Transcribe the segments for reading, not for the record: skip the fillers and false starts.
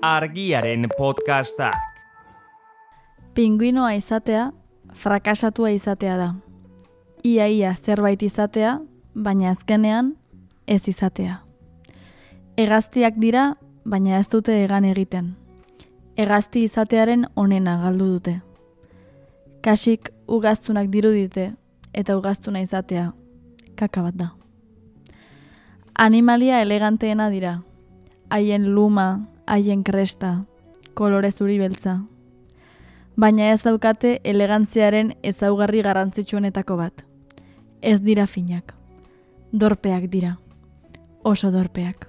Argiaren podcastak. Pinguinoa izatea, frakasatua izatea da. Ia zerbait izatea, baina azkenean ez izatea. Hegaztiak dira, baina ez dute hegan egiten. Hegazti izatearen onena galdu dute. Kasik ugaztunak dirudite eta ugaztuna izatea kaka bat da. Animalia eleganteena dira. Haien luma, haien kresta, kolore zuri beltza. Baina ez daukate elegantziaren ezaugarri garrantzitsuenetako bat. Ez dira finak. Dorpeak dira. Oso dorpeak.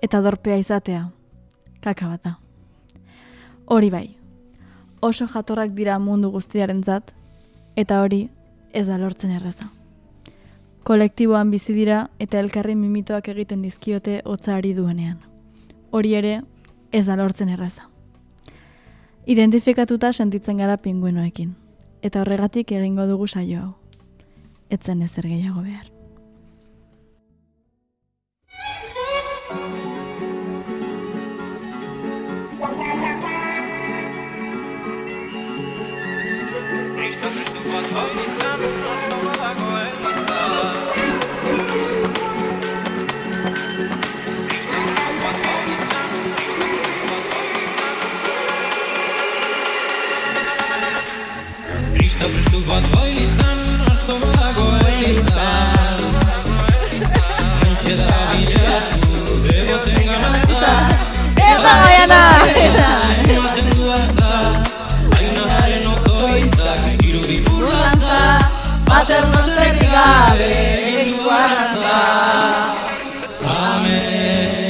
Eta dorpea izatea kaka bat da. Hori bai. Oso jatorrak dira mundu guztiarentzat, eta hori ez da lortzen erraza. Kolektiboan bizi dira eta elkarri mimitoak egiten dizkiote hotza ari duenean. Hori ere ez da lortzen erraza. Identifikatuta sentitzen gara pinguinoekin, eta horregatik egingo dugu saio hau. Etzen ezer gehiago behar. Prestu bat bailitzan, asto badago elizan. Antxe da bilatu, deboten ganatza. Eta gaiana! Ematen duatza, ainaren otoitzak, irudi burlantza. Paternosterik gabe, egindu arantza. Amen.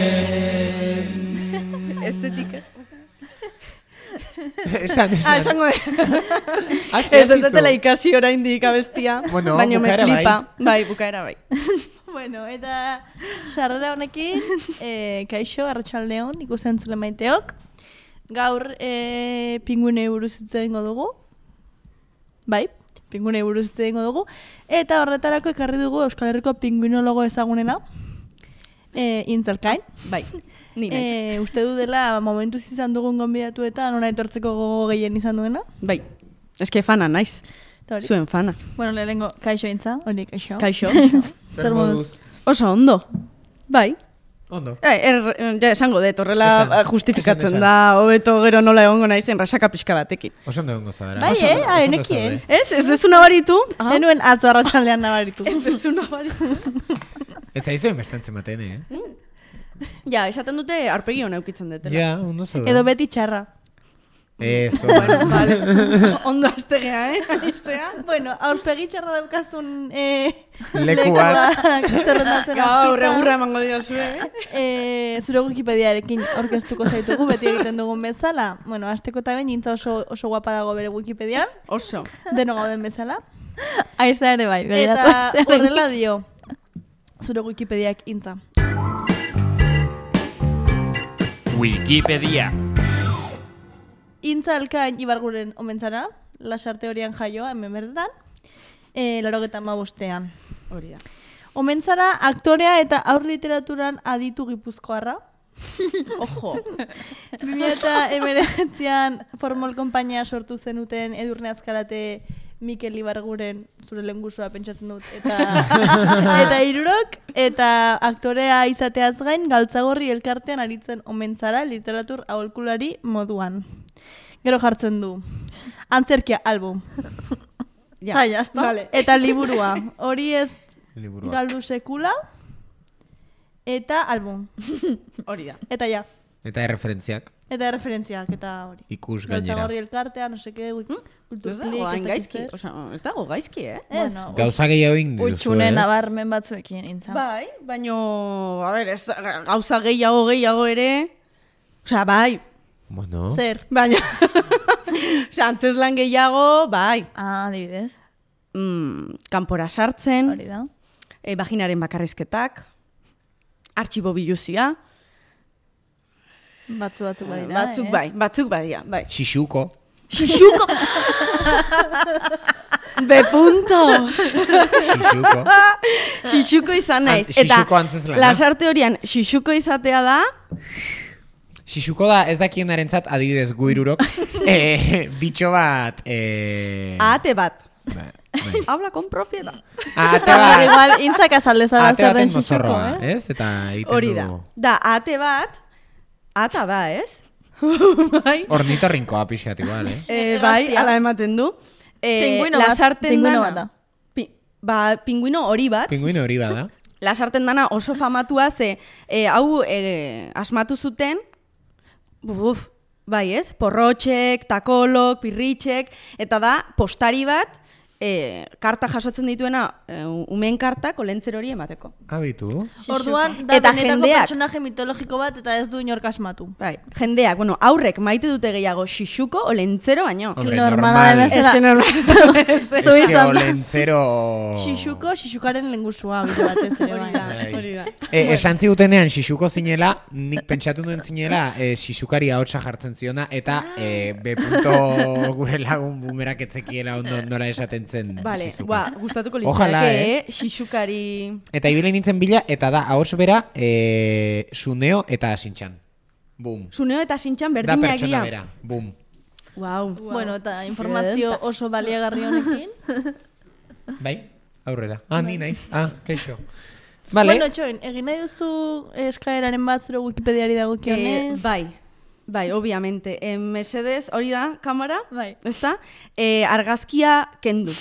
Estetika. Esango Ez dutela ikasi oraindik abestia, bueno, baina me flipa. Bai, bukaera bai. Bueno, eta sarrera honekin, kaixo, arratsaldeon, ikusten zule maiteok. Gaur pinguinei buruz hitz egingo dugu. Bai, pinguinei buruz hitz egingo dugu. Eta horretarako ekarri dugu Euskal Herriko pinguinologo ezagunena. Intzelkain. Bai, ni naiz. Uste du dela momentuz izan dugun gonbidatu eta nora etortzeko gogo gehien izan duena. Bai, eske fana naiz. Zuen fana. Bueno, lehenengo kaixo intza, hori kaixo. Kaixo. Zer moduz? Oso ondo. Bai. Ondo. Ja esango dut, horrela justifikatzen da, hobeto gero nola egongo naizen rasaka pixka batekin. Oso ondo egongo zara. Bai, enekien. Ez dezu nabaritu? Enuen atzo arratsaldean nabaritu. Ez dezu nabaritu. Ez zaizuen bestantzen baten, Ja, esaten dute arpegi hona eukitzen dutela. Ja, ondo zara. Edo beti txarra. Eso. Bueno, vale. Ondo aztegea, Aiztea. Bueno, aurpegi txarra daukazun Leku bat. zerrendatzen Gaur hasita. egurra emango diozue, Zure Wikipediarekin aurkeztuko zaitugu beti egiten dugun bezala. Bueno, hasteko eta behin intza oso guapa dago bere Wikipedian. Oso. Deno gauden bezala. Aiza ere bai, Eta horrela dio zure Wikipediak intza. Wikipedia. Intza Elkain Ibarguren omentzara, Lasarte Horian jaioa hemen bertan, 85ean. Hori da. Omentzara aktorea eta aur literaturan aditu gipuzkoarra. Ojo. 2019an Formol konpainia sortu zenuten Edurne Azkarate Mikel Ibarguren zure lehengusua pentsatzen dut eta hirurok eta aktorea izateaz gain Galtzagorri elkartean aritzen omentzara literatur aholkulari moduan. Gero jartzen du. Antzerkia album. Ja, jazta. Vale. Eta liburua. Hori ez Liburua. galdu sekula. Eta album. Hori da. Eta ja. Eta referentziak. Eta referentziak eta hori. Ikus gainera. Galtzagorri elkartea, no seke, Ez dago hain gaizki. Ez dago gaizki, Bueno, Gauza gehiago ingo duzu, utxune nabarmen batzuekin intza. Bai, baino, a ver, ez, gauza gehiago ere, osea, bai, Bueno. Zer? baina, osea, antzeslan gehiago, bai, Adibidez, kanpora sartzen, hori da. vaginaren bakarrizketak, artxibo biluzia, Batzuk badira. batzuk badira, bai. Xixuko. Xixuko! B punto! Xixuko. Xixuko izan naiz. Xixuko antzezlana. Lasarte horian xixuko izatea da... Xixuko da ez dakienarentzat adibidez guirurok bitxo bat Ahate bat. Bai. Habla con propiedad. Ahate Bai, bat. igual, intzak azaldezara Ahate zer den baten xixuko, mozorroa, eh? ez? Eta egiten Hori da. du... Da, ahate bat, ata da, ez? Bai, Ornitorrinkoa pixat igual, bai, ala ematen du. Pinguino bat, Lasarten pinguino dana. bat da. Pinguino hori bat. Pinguino hori bada. Lasarten dana oso famatua ze hau asmatu zuten, bai ez, porrotxek, takolok, pirritxek, eta da postari bat karta jasotzen dituena umeen kartak olentzer hori emateko. Abitu. Orduan, da Eta benetako jendeak. personaje mitologiko bat eta ez du inork asmatu. Bai, jendeak, bueno, aurrek maite dute gehiago xixuko olentzero baino. Hombre, Normala normal. bezala. Eske normal. Zu Eske izan da. olentzero... Xixuko, xixukaren lengusua bide batez ere bai. Bai. Hori da. Esan zigutenean xixuko zinela, nik pentsatu nuen zinela xixukari ahotsa jartzen ziona, eta B. gure lagun bumerak etzekiela ondo nola esaten zen Vale, xizuka. gustatuko Ojalá, litzake, xixukari... Eta ibili nintzen bila, eta da ahots bera Suneo eta Sintxan. Bum. Suneo eta sintxan Da berdina pertsona egia. bera. Bum. Wow. Bueno, eta informazio oso baliagarri honekin. Bai? Aurrera. Ni naiz. Keixo. Vale. Bueno, txoin, egin nahi duzu eskaeraren bat zure Wikipediari dagokionez? Bai, obviamente. Mesedez, hori da, kamera? Bai. Ezta? Argazkia kendu.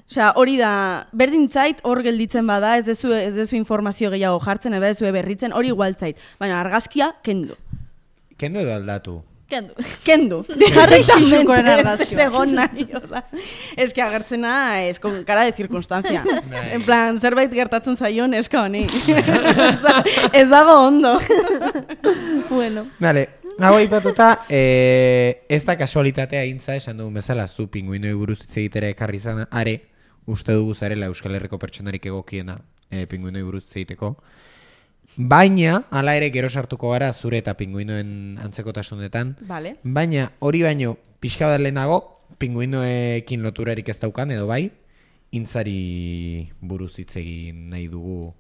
Osea, hori da, berdin zait, hor gelditzen bada, ez dezu informazio gehiago jartzen, ebe dezu berritzen, hori igual zait. Baina argazkia kendu. Kendo edo aldatu. Kendu. Kendu. Xixukoren argazkia. Egon nahi, hola. Ez que agertzena, ez con cara de circunstancia. Bai. En plan, zerbait gertatzen zaion, eska honi. Ez dago ondo. Bueno. Vale. Hau aipatuta, ez da kasualitatea intza esan dugun bezala, zu pinguinoi buruz hitz egitera ekarri izan, are, uste dugu zarela Euskal Herriko pertsonarik egokiena pinguinoi buruz hitz egiteko. Baina, hala ere gero sartuko gara zure eta pinguinoen antzekotasunetan. Vale. Baina, hori baino, pixka bat lehenago, pinguinoekin loturarik ez daukan, edo bai, intzari buruz hitz egin nahi dugu.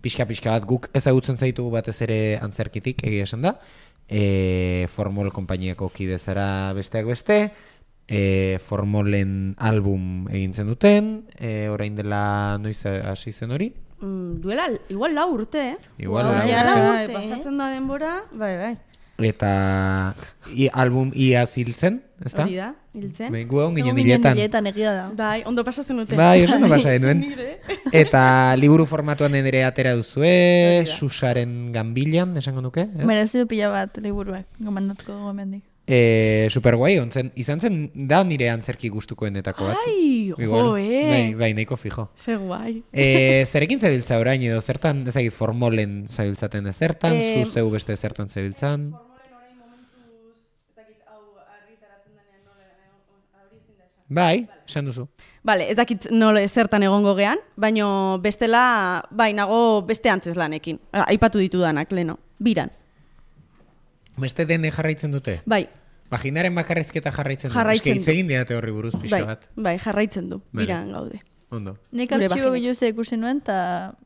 Pixka bat guk ezagutzen zaitugu batez ere antzerkitik, egia esan da. Formol konpainiako kide zara besteak beste, Formolen album egin zen duten, orain dela noiz hasi zen hori? Duela, igual 4 urte, Igual Bai, lau urte. bai, pasatzen da denbora, bai. Eta album ia ziltzen, ezta? Hori da, hiltzen. Bai, gu egon ginen Egon ginen hiletan. hiletan egia da. Bai, ondo pasatzen dute. Bai, oso no pasa genuen. Eta liburu formatuan ere atera duzue, Susaren ganbilan, esango nuke, ez? Merezi du pila bat liburuak, gomendatuko gomendik. Super guai, izan zen da nire antzerki gustukoenetako bat. Ai, Igual. joe. Bai, nahiko fijo. Ze guai. Zerekin zabiltza orain edo zertan, ezagit Formolen zabiltzaten ezertan, zu zeu beste zertan zabiltzan. Bai, esan duzu. Vale, ez dakit nola zertan egongo gean, baino bestela, bai, nago beste antzeslanekin. Aipatu ditudanak, leno. Biran. Beste dene jarraitzen dute? Bai, Vaginaren bakarrizketa jarraitzen du. Jarraitzen Eske du. hitz egin diate horri buruz pixka bat. bai, jarraitzen du. Vale. Biran gaude. Ondo. Nik Gure artxibo vaginak. biluzea ikusi nuen eta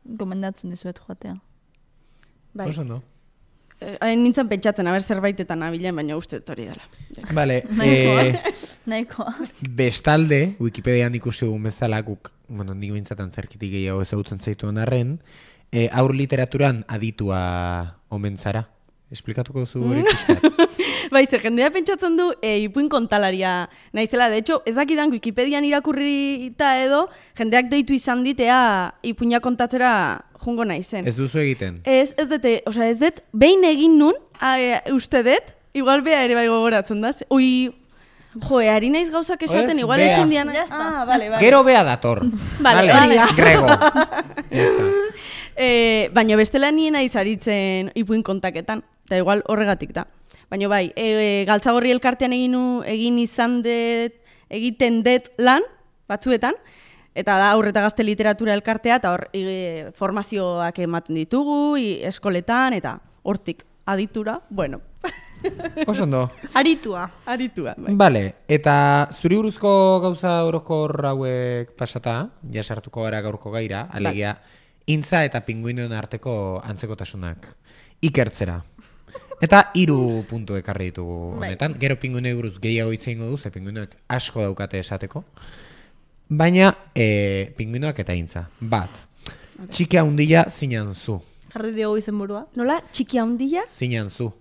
gomendatzen dizuet joatea. Bai. Oso ondo. Nintzen pentsatzen, aber zerbaitetan abilen, baina uste hori dela. Vale, Nahikoa. bestalde, Wikipedian ikusi dugun bezala, guk, bueno, nik bintzatan zerkitik gehiago ezagutzen zaituen arren, aur literaturan aditua omen zara. Esplikatuko duzu hori pixkat. Bai, ze jendea pentsatzen du ipuin kontalaria naizela. De hecho, ez dakidan Wikipedian irakurrita edo, jendeak deitu izan ditea ipuina kontatzera jungo naizen. Ez duzu egiten. Ez dut, behin egin nun, uste dut, igual bea ere bai gogoratzen da. Ui, ari naiz gauzak esaten, Ez, igual Bea. ezin dian. Ya está. Vale. Gero bea dator. Vale, hori da. Grego. Ya está. Baina bestela nien naiz aritzen ipuin kontaketan, eta igual horregatik da. Baina bai, Galtzagorri elkartean egiten dut lan, batzuetan, eta da aurreta gazte literatura elkartea, eta hor formazioak ematen ditugu, eskoletan, eta hortik aditura, bueno, Oso ondo. Aritua. aritua. Bai. Vale, eta zuri buruzko gauza orokor hauek pasata, ja sartuko gara gaurko gaira, alegia, intza eta pinguinoen arteko antzekotasunak ikertzera. Eta 3 puntu ekarri ditugu honetan. Gero pinguinoi buruz gehiago hitz egingo du, ze pinguinoek asko daukate esateko. Baina pinguinoak eta intza. Bat, txiki handia zinan zu. Jarri diogu izenburua. Nola, txiki handia? Zinan zu.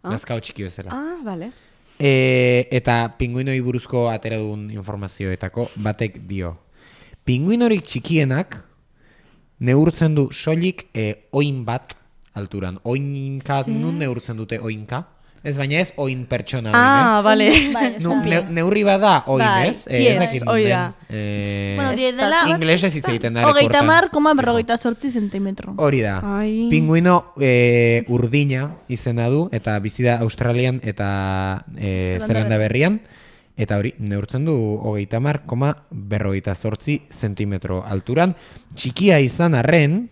Nazkao txiki bezala. Vale. Eta pinguinoi buruzko atera dugun informazioetako batek dio. Pinguinorik txikienak neurtzen du soilik oin bat alturan. Oinka, nun neurtzen dute oinka? Ez, baina ez oin pertsona. Vale. Neurri bada oin, ez? Yes, hoi da. Bueno, direla... Inglesez hitz egiten da. 30,48 zentimetro. Hori da. Pinguino urdina izena du, eta bizi da Australian eta Zelanda Berrian. Eta hori, neurtzen du 30,48 zentimetro alturan. Txikia izan arren,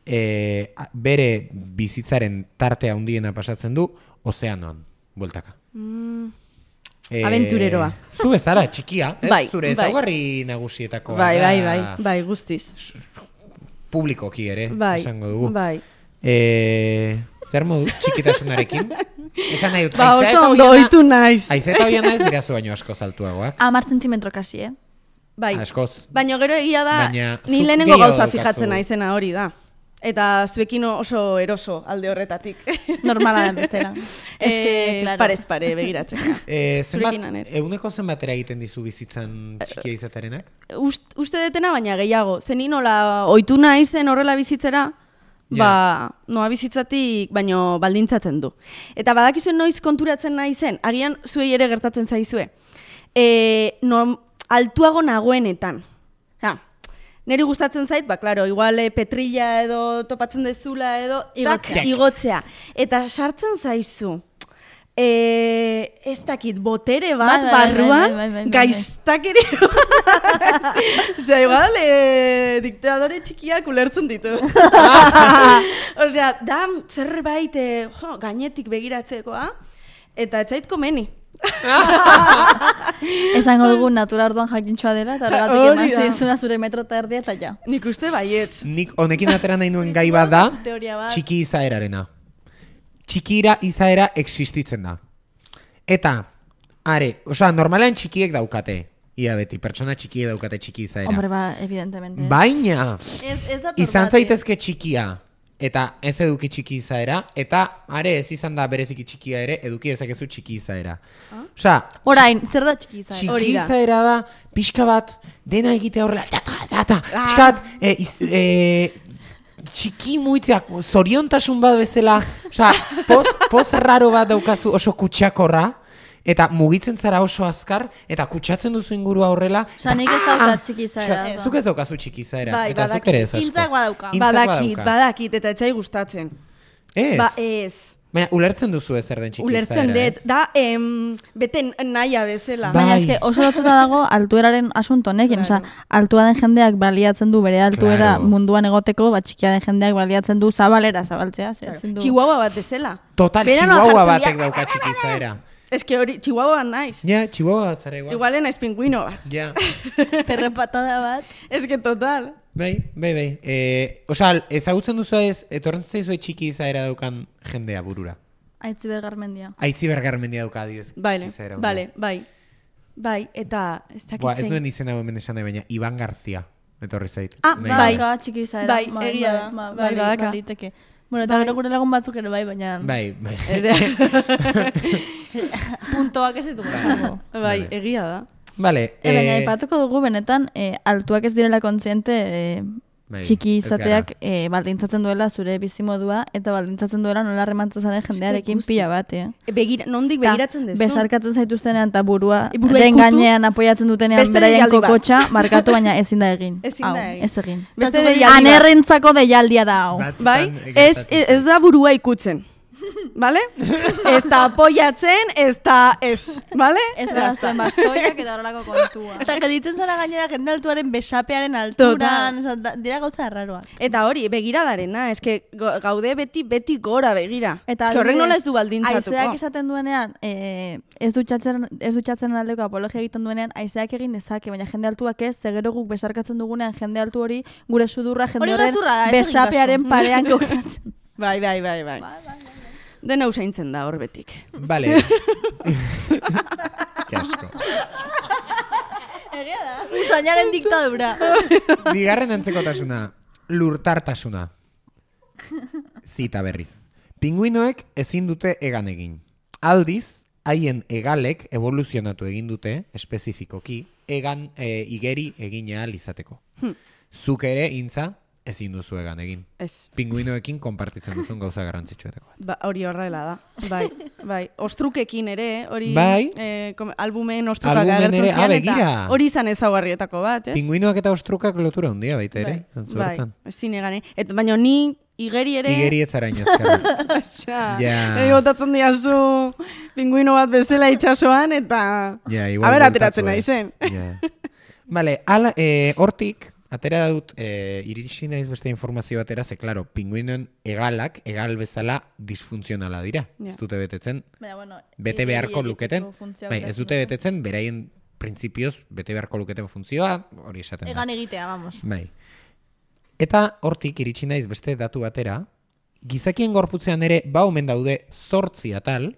bere bizitzaren tarte handiena pasatzen du, ozeanoan, bueltaka. Aventureroa. Zu bezala, txikia, ez? Bai, Zure ezaugarri nagusietako. Bai, guztiz. Publikoki ere, esango dugu. Bai. Zer modu, txikitasunarekin? Esan nahi dut, oso ondo oitu naiz. Aizeta hoia naiz dirazu baino askoz altuagoak. 10 zentimetro kasi, Bai. Askoz. Baina gero egia da, Baina ni zuk lehenengo gehiago gauza daukazu. fijatzen naizena hori da. Eta zuekin oso eroso alde horretatik. Normala den bezala. Claro. Parez pare begiratzen. Zurekin aner. Eguneko zenbatera egiten dizu bizitzan txikia izaterenak? Uste detena baina gehiago. Zeni nola ohitu naizen horrela bizitzera, noa bizitzatik baino baldintzatzen du. Eta badakizuen noiz konturatzen naizen, agian zuei ere gertatzen zaizue. Altuago nagoenetan. Neri gustatzen zait, claro, igual petrilla edo topatzen dezula edo igotzea. Eta sartzen zaizu. Ez dakit, botere bat barruan, gaiztak ere. Osea, igual, diktadore txikiak ulertzen ditu. Osea, da zerbait gainetik begiratzekoa, eta ez zait komeni. Esango dugu natura orduan jakintxoa dela, eta horregatik eman zizuna zure metro eta erdia, eta ja. Nik uste baietz. Nik honekin atera nahi nuen gai bat da, txiki izaerarena. Txikira izaera existitzen da. Eta, normalean txikiek daukate. Ia beti, pertsona txikiek daukate txiki izaera. Hombre, evidentemente. Baina, izan zaitezke txikia. Eta ez eduki txiki izaera, eta ez izan da bereziki txikia ere, eduki ezakezu txiki izaera. Orain, zer da txiki izaera? Txiki izaera da, pixka bat, dena egitea horrela, pixka bat, txiki muitzeak, zoriontasun bat bezala, poz raro bat daukazu oso kutsakorra, eta mugitzen zara oso azkar, eta kutsatzen duzu ingurua horrela. Nik ez daukat txiki izaera. Zuk ez daukazu txiki izaera. Bai, badakit. Intzak badauka. Badakit, eta etzai gustatzen. Ez? Ez. Baina, ulertzen duzu zer den txiki izaera. Ulertzen dut, da, bete nahia bezala. Baina eske oso lotuta dago altueraren asunto honekin, altua den jendeak baliatzen du bere altuera munduan egoteko, txikia den jendeak baliatzen du zabaltzea. Chihuahua bat bezala. Total, chihuahua batek dauka txiki izaera. Ez que hori, chihuahua naiz. Ja, chihuahua bat zara igual. Igual naiz pingüino bat. Ja. Perrepatada bat. Ez que total. Bai. Ezagutzen duzu etorren zaizue txiki izaera daukan jendea burura. Aitziber Garmendia. Aitziber Garmendia dauka adidez. Bai, eta ez dakitzen. Ez duen izena hemen esan nahi, baina Iban Garzia. Etorri zait. Bai, txiki izaera. Bai, egia da. Bai, badaka. Bueno, eta gero gure lagun batzuk ere baina... Bai. Puntoak ez ditugu. Bai, egia da. Vale. Baina ipatuko dugu benetan, altuak ez direla kontziente txiki izateak baldintzatzen duela zure bizimodua, eta baldintzatzen duela nola remantzen zaren jendearekin pila bat, Nondik begiratzen dezu? Besarkatzen zaituztenean eta burua den gainean apoiatzen dutenean beraien kokotxa, markatu baina ezin da egin. Ez egin. Anerrentzako deialdia da hau. Bai? Ez da burua ikutzen. Vale? Ez da apoiatzen, ez da ez. Vale? Ez berazten bastoiak eta horrelako kontua. Eta gelditzen zara gainera jende altuaren besapearen alturan, dira gauza erraroak. Eta hori, begiradarena, eske gaude beti gora begira. Eta horrek nola ez du baldintzatuko. Aizeak esaten duenean, ez dutxatzen aldeko apologia egiten duenean, aizeak egin dezake, baina jende altuak ez, zegero guk besarkatzen dugunean jende altu hori, gure sudurra jende horren besapearen parean kokatzen. Bai. Dena usaintzen da hor betik. Vale. Ke asko. Egia da. Usainaren diktadura. Bigarren antzekotasuna, lurtartasuna. Zita berriz. Pinguinoek ezin dute egan egin. Aldiz, haien egalek evoluzionatu egin dute, espezifikoki, egan igeri egin ahal izateko. Zuk ere, intza, ezin duzu egan egin. Ez. Pinguinoekin konpartitzen duzun gauza garrantzitsuetako bat. Ba, hori horrela da. Bai. Ostrukekin ere, hori Bai. albumen ostrukak Albumen agertzen ere, zian, begira. eta hori izan ezaugarrietako bat, ez? Pinguinoak eta ostrukak lotura handia baita ere. zentzu Bai, horretan. ezin egan, baina ni igeri ere... Igeri ez zara inazkarra. Ja. Botatzen diazu pinguino bat bezala itxasoan, eta... Ja, igual Aber, bueltatu, ateratzen naizen. Ja. Vale, hortik, atera dut, iritsi naiz beste informazio batera, ze, klaro, pinguinoen egalak, egal bezala disfuntzionala dira. Ja. Ez dute betetzen, Baina, bueno, bete beharko luketen, funtzioa bai, ez dute betetzen, beraien printzipioz bete beharko luketen funtzioa, hori esaten da. Egan egitea, vamos. Bai. Eta hortik iritsi naiz beste datu batera, gizakien gorputzean ere omen daude 8 atal,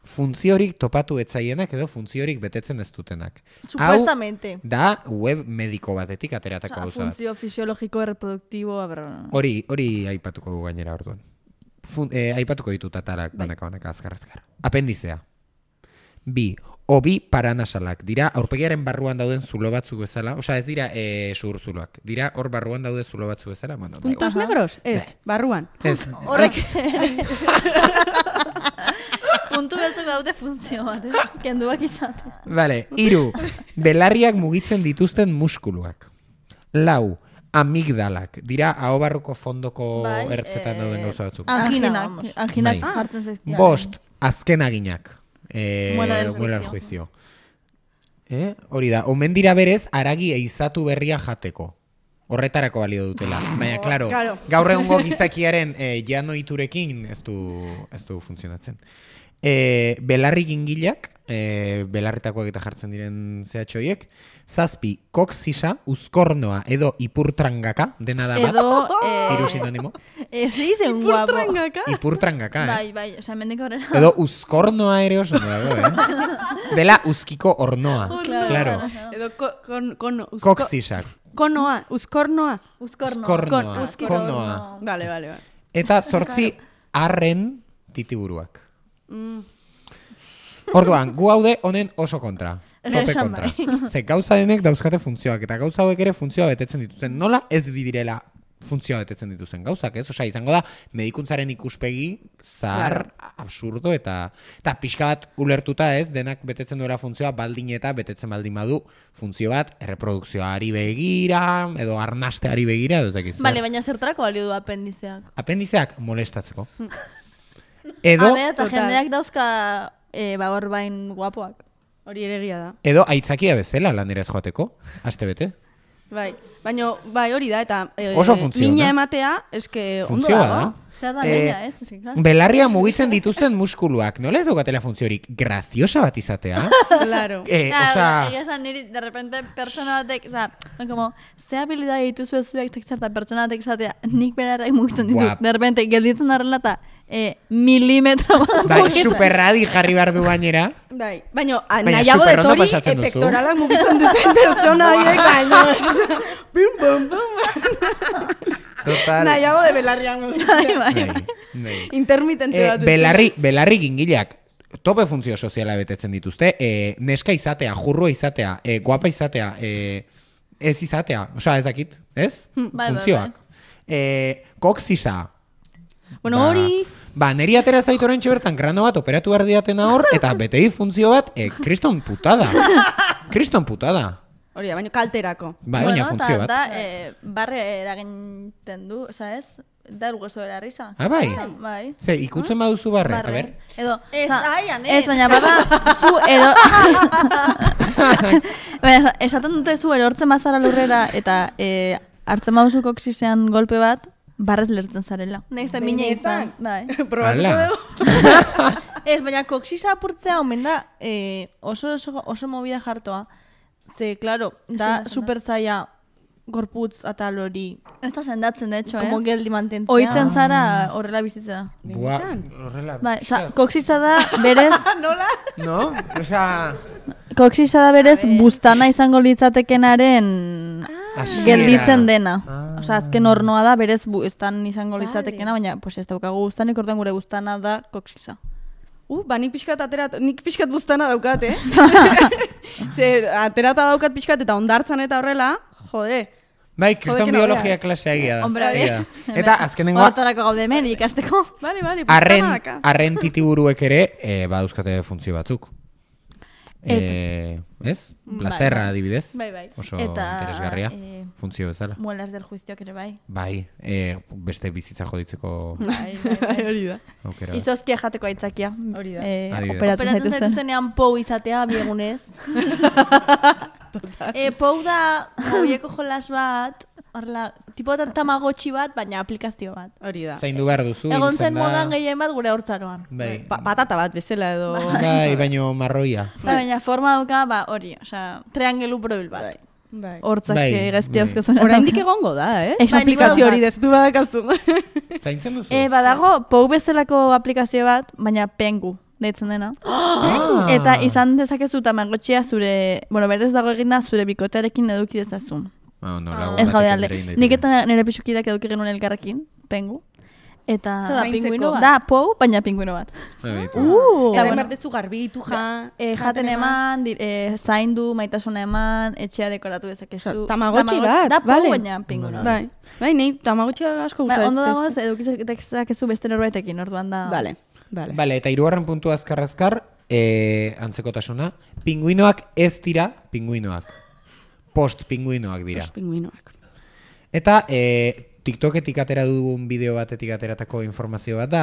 funtziorik topatu etzaienak edo funtziorik betetzen ez dutenak. Supuestamente. Hau da web mediko batetik ateratako Osa, gauza bat. funtzio fisiologiko reproduktibo, Hori aipatuko dugu gainera orduan. Aipatuko ditut atalak banaka azkar. Apendizea. Bi, obi paranasalak. Dira, aurpegiaren barruan dauden zulo batzuk bezala. Osa, ez dira zuhurzuloak. Dira, hor barruan daude zulo batzuk bezala. Bueno, Puntos negros? Ez, barruan. Ez. Horrek... Puntu beltzuk daute funtzio bat, kenduak izate. Vale, 3. Belarriak mugitzen dituzten muskuluak. 4. Amigdalak. Dira, ahobarruko fondoko Bai, ertzetan dauden gauza batzuk. Anginak Bai. jartzen zaizkia. 5. Azkenaginak. Muela del Muela del juicio. juicio. Hori da, omen dira berez, aragi eizatu berria jateko. Horretarako balio dutela. Baina, claro, gaur egungo gizakiaren jano iturekin ez du funtzionatzen. Belarri gingilak, belarritakoak eta jartzen diren zehatxoiek, 7. Koksisa, uzkornoa edo ipurtrangaka, dena da bat, hiru sinonimo. Ez izen guapo. Ipurtrangaka, Bai, osa, mendik horrela. Edo uzkornoa ere oso dago, Dela uzkiko ornoa, claro. Edo Koksisak. Konoa, uzkornoa. Konoa. Vale. Eta 8 arren titiburuak. Orduan, gu haude honen oso kontra. Tope kontra. Ze gauza denek dauzkate funtzioak, eta gauza hauek ere funtzioa betetzen dituzten. Nola ez direla funtzioa betetzen dituzten gauzak, ez? Osa, izango da, medikuntzaren ikuspegi zahar, absurdo, eta pixka bat ulertuta ez, denak betetzen duela funtzioa baldin eta betetzen baldin badu funtzio bat, erreprodukzioari begira, edo arnasteari begira, edo zekiz. Bale, baina zertarako balio du apendizeak? Apendizeak molestatzeko. Edo, eta jendeak dauzka bagor bain guapoak. Hori ere egia da. edo aitzakia bezala lanera ez joateko, aste bete. Bai, baina bai hori da, eta Oso funtzio mina da. ematea, eske ondo Funtzioa dago. da. Zer da leia, ez? Ez, claro. Belarria mugitzen dituzten muskuluak, nola ez daukatela funtziorik graziosa bat izatea? Claro. Egia esan niri, de repente, pertsona batek, oza, como, ze habilidade dituzu zuek tekzarta pertsona batek esatea, nik belarrak mugitzen ditut, Guap. de repente, gelditzen darrela eta milimetro bat Bai, mugitzen. superradi jarri behar du gainera. Bai, baina Baina nahiago superondo dut hori pasatzen duzu. pektoralak mugitzen duten pertsona horiek baina. Bum, bum, bum. Total. Nahiago de belarriak mugitzen. Bai. Intermitente bat. Belarri gingileak tope funtzio soziala betetzen dituzte, neska izatea, jurrua izatea, guapa izatea, ez izatea, osea ez dakit, ez? Bai, Funtzioak. Koksisa. Bueno, hori... Neri atera zaitu oraintxe bertan grano bat operatu behar diatena hor, eta bete dit funtzio bat, kriston putada. Kriston putada. Hori da, baina kalterako. Baina funtzio bat. Barre eraginten du, oza ez? Da el hueso de la risa. Ah, bai? Bai. Ze, ikutzen baduzu barre, a ber. Edo, Ez, aian, ez, baina bada, zu baina, esaten dute zu erortzen bazara lurrera, eta hartzen baduzu koksisean golpe bat, barrez lertzen zarela. Nahiz da mina izan. Bai. Probatuko Hala. dugu. Ez, baina koksisa apurtzea omen da oso movida jartoa. Ze, claro, da Zein da, super zaila gorputz atal hori Ez da sendatzen, de hecho, como geldi mantentzea. Oitzen zara horrela bizitzera. Bua, horrela. Bai, oza, koksisa da berez, No? Osea, koksisa da berez buztana izango litzatekenaren hasiera. gelditzen dena. Osa, azken hornoa da, berez buztan izango litzatekena, baina pues ez daukagu buztanik, orduan gure buztana da koksisa. Ba, nik pixkat buztana daukat, Ze, aterata daukat pixkat eta ondartzan eta horrela, jode. Bai, kriston Jodeken biologia klasea egia da. Hombre, Egia bai. da. Eta azkenengoa, Hortarako gaude hemen ikasteko. Bale, buztana daka. arren titiburuek ere, badauzkate funtzio batzuk. Ez? Plazerra adibidez. Bai. Oso Eta, interesgarria, funtzio bezala. Muelas del juizioak ere bai. Bai, beste bizitza joditzeko Hori da. aukera. Izozkia jateko aitzakia. Hori da. Adibidez. Operatzen Operatzen zaituzten. zaituztenean pou izatea biegunez. Pou da hoieko jolas bat, horrela, tipo tamagotchi bat, baina aplikazio bat. Hori da. Zaindu behar duzu. Egon hiltzen zen da. modan gehien bat gure hortzaroan. Bai, Patata bat bezala edo... bai, baino marroia. Baina forma dauka, hori, osea, triangelu probil bat. Bai. Hortzak Bai, gazti bai. hauzkezuna. Oraindik egongo da, Bai, aplikazio nik hori destu badakazu. Zaintzen duzu? Badago, pou bezalako aplikazio bat, baina pengu deitzen dena. Eta izan dezakezu tamagotxia zure, berez dago eginda zure bikotearekin eduki dezazun. Ez gaude alde. Nik eta nire pixukidak eduki genuen elkarrekin, pengu. Eta Zer da, pinguino bat? da pou, baina pinguino bat. Eta bueno. berdezu garbitu Jaten eman, zaindu, maitasuna eman, etxea dekoratu dezakezu. Tamagotchi bat, da pou, bale. baina pinguino bat. Bai, nahi tamagotxia asko Ba, gustatzen. ondo dagoaz, eduki dezakezu beste norbaitekin, orduan da. Bale. Bale, eta hirugarren puntu azkar, antzekotasuna. Pinguinoak ez dira pinguinoak. Post-pinguinoak dira. Pingüinoak. Eta TikToketik atera dugun bideo batetik ateratako informazio bat da.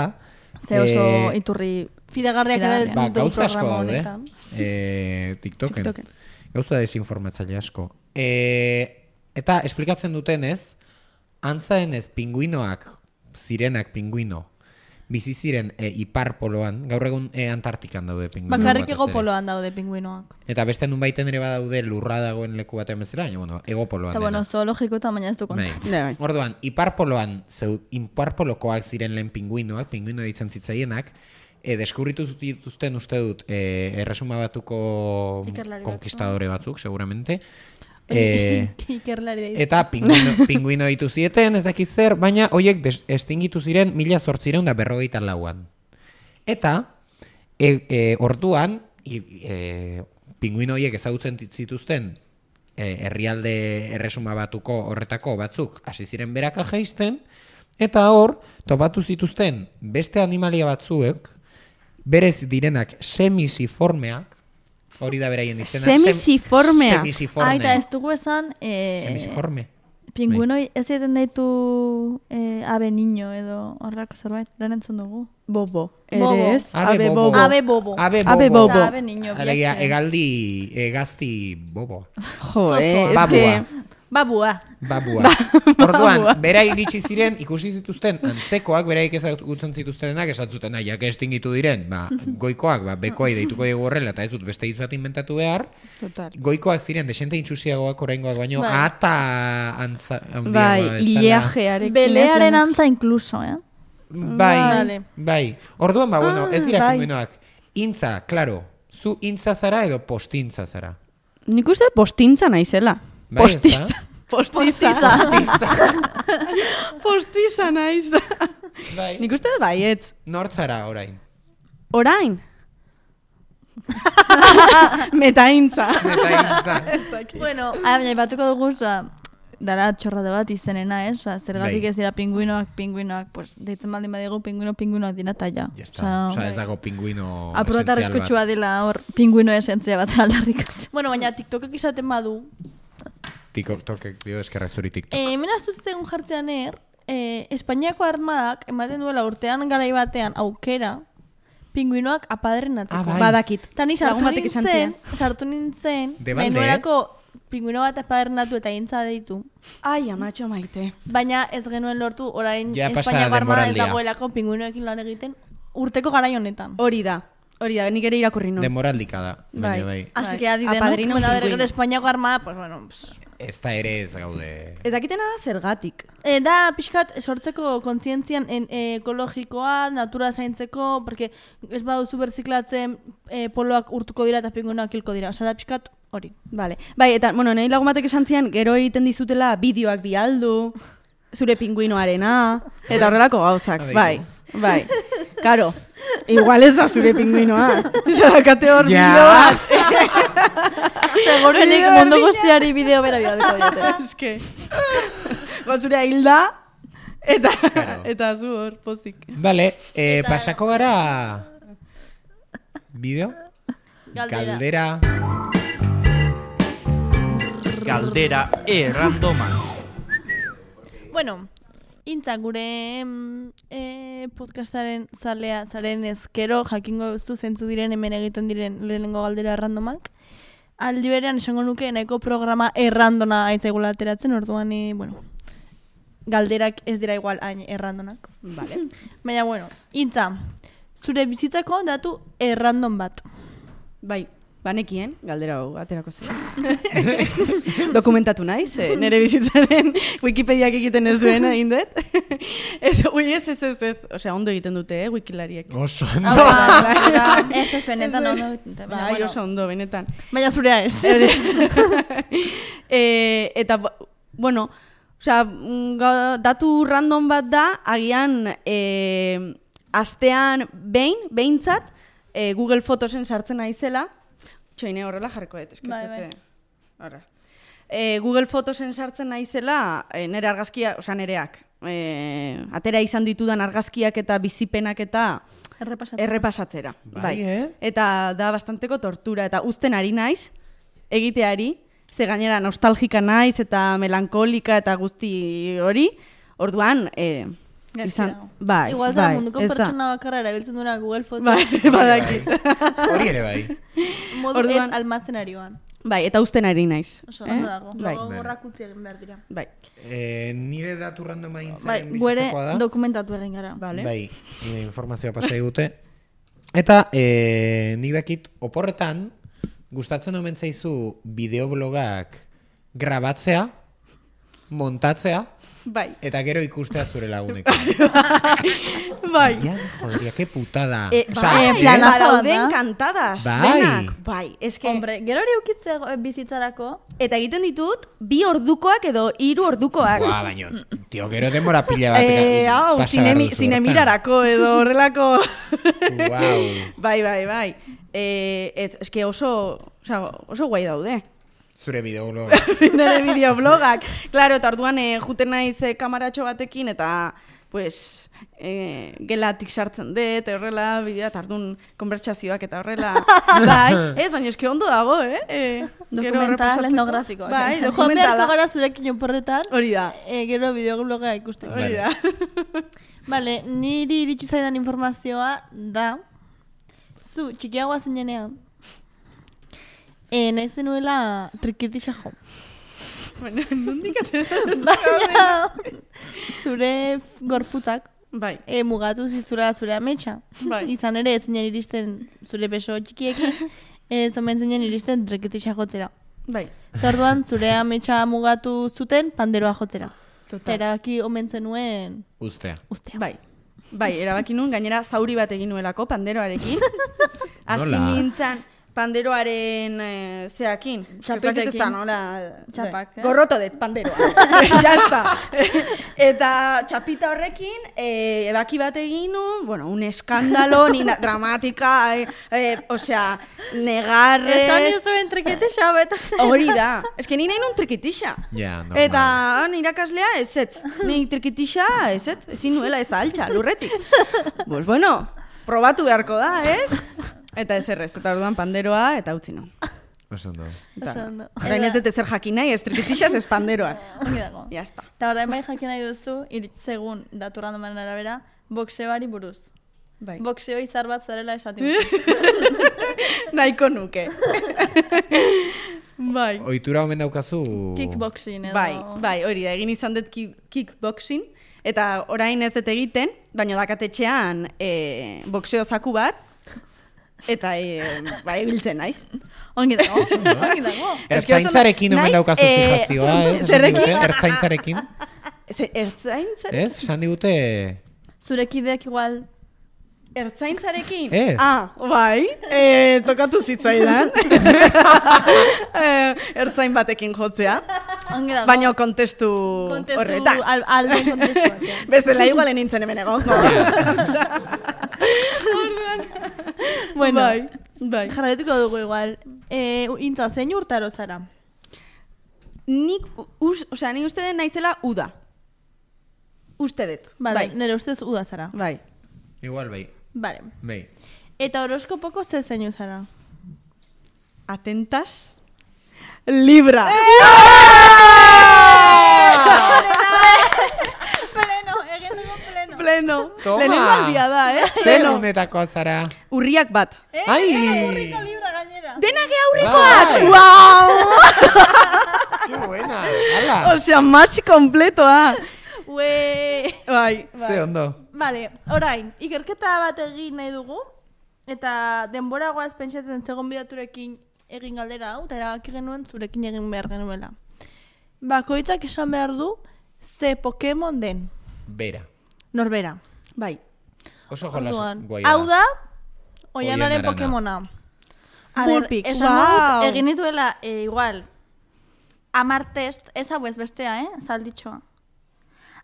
Ze oso iturri Fidagarriak ere ez Ba, dut gauza asko programa daude. honetan. TikToken. Gauza desinformatzaile asko. Eta esplikatzen dutenez, antzaenez pinguinoak, zirenak pinguino, bizi ziren ipar poloan, gaur egun Antartikan daude pinguino. Bakarrik batez ego ere. poloan daude pinguinoak. Eta beste nun baiten ere badaude lurra dagoen leku batean bezala, baina ego poloan Eta dena. zoologiko eta baina ez du Bai. kontatzen. Bai. Orduan, ipar polokoak ziren lehen pinguino ditzen zitzaienak, deskubritu zituzten uste dut erresuma batuko Ikerlari konkistadore batzuk, seguramente. Ikerlari da Eta pinguino ditu zieten, ez dakit zer, baina hoiek estingitu ziren 1854an. Eta orduan, pinguino horiek ezagutzen zituzten herrialde erresuma batuko horretako batzuk hasi ziren beraka jaisten, eta hor, topatu zituzten beste animalia batzuek, berez direnak semisiformeak, hori da beraien izena. Semisiformeak. Semisiforme. Eta ez dugu esan, Semisiforme. pinguinoi ez egiten daitu abe niño edo horrako zerbait, lehen entzun dugu. Bobo. Bobo. Ere ez? Abe bobo. Abe bobo. Abe Abe bobo. bobo. Abe niño Alegia, bilatzen. egazti bobo. Jo, es Babua. que... Babua. Babua. Orduan, bera iritsi ziren, ikusi zituzten, antzekoak, beraik ezagutzen zituztenak, esatzuten, jak estingitu diren, goikoak, bekoai deituko dugu horrela, eta ez dut beste hitz bat inventatu behar, Total. goikoak ziren, desente intsusiagoak oraingoak baino, Bai. ata antza handiagoa Bai, bezala. liajearekin. Belearen antza inkluso, Bai, Vale. bai. Orduan, bueno, ez dira bai. pinguinoak. Intza, claro, zu intza zara edo postintza zara. Nik uste postintza naizela. Bai, Postiza. ezta? Postiza. Postiza naiz. Bai. Nik uste baietz. Nortzara orain. Orain. Metaintza. Eta intza. Bueno, Baina, batuko dugu, dara txorrade bat izenena, zergatik Bai. ez dira pinguinoak, pues, deitzen baldin badigu pinguinoak dira eta ja. Ya está. Osa, ez dago pinguino Apurata esenzial bat. arriskutsua dela hor pinguino esentzia bat aldarrikatzen. bueno, baina TikTokek izaten badu. TikTokek dio eskerrak zuri TikTok. Hemen astutzen jartzean Espainiako armadak ematen duela urtean garai batean aukera pinguinoak apaderen atzeko. bai. Badakit. Tani Lagun batek izan zien. sartu nintzen, Debalde, menuerako pinguino bat apadernatu eta intza deitu. Ai, amatxo maite. Baina ez genuen lortu orain Ja pasa Espainiako armada ez denboraldia. dagoelako pinguinoekin lan egiten urteko garai honetan. Hori da. Hori da, nik ere irakurri nun. Demoraldika da, baina bai. Así que adi denok, Apadrino bueno, pingüino. gero Espainiako armada, pues bueno, pues, Ez da ere ez gaude. Ez dakitena da zergatik. da pixkat sortzeko kontzientzian ekologikoa, natura zaintzeko, porque ez baduzu berziklatzen poloak urtuko dira eta pinguinoak hilko dira. Osa da pixkat hori. Vale. Bai, eta, bueno, nahi lagun batek esan zian, gero egiten dizutela bideoak bialdu, zure pingüinoarena, eta horrelako gauzak. Bai, bai. Karo, igual ez da zure pingüinoa. Zarakate hor bideo bat. Segurenik mundu guztiari bideo bera bidaleko diote. Eske. Gotzure hilda, eta zu hor, pozik. Vale, pasako gara... Bideo? Galdera. Galdera errandoma. Bueno, intza gure podcastaren zalea zaren ezkero jakingo duzu zentzu diren hemen egiten diren lehenengo galdera errandomak. Aldi berean esango nuke nahiko programa errandona aizaigula ateratzen, orduan, bueno, galderak ez dira igual hain errandonak. Vale. Baina, bueno, intza, zure bizitzako datu errandon bat. Bai, banekien, galdera hau aterako zela. Dokumentatu naiz, nire bizitzaren Wikipediak egiten ez duen egin dut. Ez. Osea, ondo egiten dute, wikilariek. Oso Ez benetan ondo egiten dute. Baina, Bai, bueno, oso ondo, benetan. baina zurea ez. Eta, bueno, osea, datu random bat da, agian astean behintzat, Google Photosen sartzen naizela, txoine horrela jarriko dut, eskizete. Horra. Google Photosen sartzen naizela, nire argazkia, osea nireak, atera izan ditudan argazkiak eta bizipenak eta errepasatzera. Bai, Eta da bastanteko tortura, eta uzten ari naiz, egiteari, ze gainera nostalgika naiz eta melankolika eta guzti hori, orduan, izan, bai, Igual zara bai, munduko ez da. pertsona bakarra erabiltzen duena Google Fotos. Bai, badakit. Hori ere bai. Modu Orduan- ez almazenarioan. Bai, eta uzten ari naiz. Oso ondo dago. Bai, Logo gorrak utzi egin behar dira. bai. Nire datu randoma Bai, gintzaren guere bizitzakoa da. dokumentatu egin gara. Vale. Bai, informazioa pasa digute. Eta nik dakit oporretan gustatzen omen zaizu bideoblogak grabatzea, montatzea Bai. eta gero ikustea zure lagunekin. Bai. Ja, joderia, que putada. planazo Badaude da. encantadas. Bai. Denak. Bai, eske. Hombre, gero hori ukitze bizitzarako. Eta egiten ditut, 2 ordukoak edo 3 ordukoak. Buah, baina, tio, gero denbora pila bat Hau, pasa behar duzu zinemirarako edo horrelako. hortan. Guau. Bai. Eske oso guai daude. Zure bideobloga. Nire bideoblogak. Claro, eta orduan juten naiz kamaratxo batekin eta pues gelatik sartzen dut, horrela, bidea, eta orduan konbertsazioak eta horrela. Bai, ez, baina eske ondo dago, Dokumental etnografikoa. Bai, Joan beharko dokumentala. gara zurekin oporretan. Hori da. Gero bideobloga ikusteko. Hori da. Vale, niri iritsi zaidan informazioa da zu txikiagoa zinenean nahi zenuela trikitisa jo. Bueno, nondik Baina zure gorputzak Bai. mugatu zizura zure ametsa. Bai. Izan ere ez zinen iristen zure beso txikiekin, ez omen zinen iristen trikitisa jotzera. Bai. Eta orduan zure ametsa mugatu zuten panderoa jotzera. Eta Total. erabaki omen zenuen Ustea. ustea. Bai, erabaki nun, gainera zauri bat egin nuelako panderoarekin. Hasi Nola? nintzen panderoaren zeakin. Txapetekin. Ez da, nola... Txapak, Gorroto dut panderoa. Ya está. Eta txapita horrekin, ebaki bat egin nun, bueno, un eskandalo, ni dramatika, osea, negarrez... Esan izuen trikitisa beta zen. Hori da. Ez que ni nahi nun trikitixa. Ja, normal. Eta irakaslea ezetz. Ni trikitixa ezetz. Ezin nuela ez da altxa, lurretik. Pues bueno, probatu beharko da, ez? Eta ez errez. Eta orduan panderoa eta utzi nun. Oso ondo. Eta, Oso ondo. orain ez dut ezer jakin nahi, ez trikitixaz, ez panderoaz. Ongi dago. Ya está. Eta orain bai jakin nahi duzu, iritzegun datu randomen arabera, boxeoari buruz. Bai. Boxeo izar bat zarela esatik. Nahiko nuke. Bai. Ohitura omen daukazu... Kickboxing edo... Bai, hori da, egin izan dut kickboxing, eta orain ez dut egiten, baina dakatetxean boxeo zaku bat, eta ibiltzen naiz. Ongi dago, ongi dago. Ertzaintzarekin omen naiz, daukazu fijazioa, ez? zerrekin? Ertzaintzarekin. Ertzaintzare? Ez? Esan digute... Zurekideak igual... Ertzaintzarekin? Ez. Bai, tokatu zitzaidan. Ertzain batekin jotzea. Ongi dago. Baina kontestu horretan. Alde kontestu batean. Bestela igualen nintzen hemen egongo. Bueno, Bai. Jarraituko dugu igual. Intza, zein urtaro zara? Nik uste den naizela uda. Uste dut. Bai, nire ustez uda zara. Bai. Igual bai. Vale. Bai. Eta horoskopoko ze zeinu zara? Atentas. Libra. Pleno, egin dugu pleno. Pleno. Toma. Lehenengo aldia da, Zer honetako zara? Urriak bat. Ai! Urriko libra gainera. Dena gehaurrekoak! Bai. Wow! Qué buena! Hala! Osea, match kompletoa. Ue. Bai. Ze ondo. Vale, orain, ikerketa bat egin nahi dugu, eta denbora goaz pentsatzen zegon bidaturekin egin galdera hau, eta erabaki genuen zurekin egin behar genuela. Bakoitzak esan behar du, ze Pokemon den, Bera. norbera. Bai. Oso jolas Orduan, guai hau da, Oianaren Oianaren Pokemona. A ver, Bullpix. esan dut, Wow. egin dituela, igual, 10 test, ez hau ez bestea, salditxoa.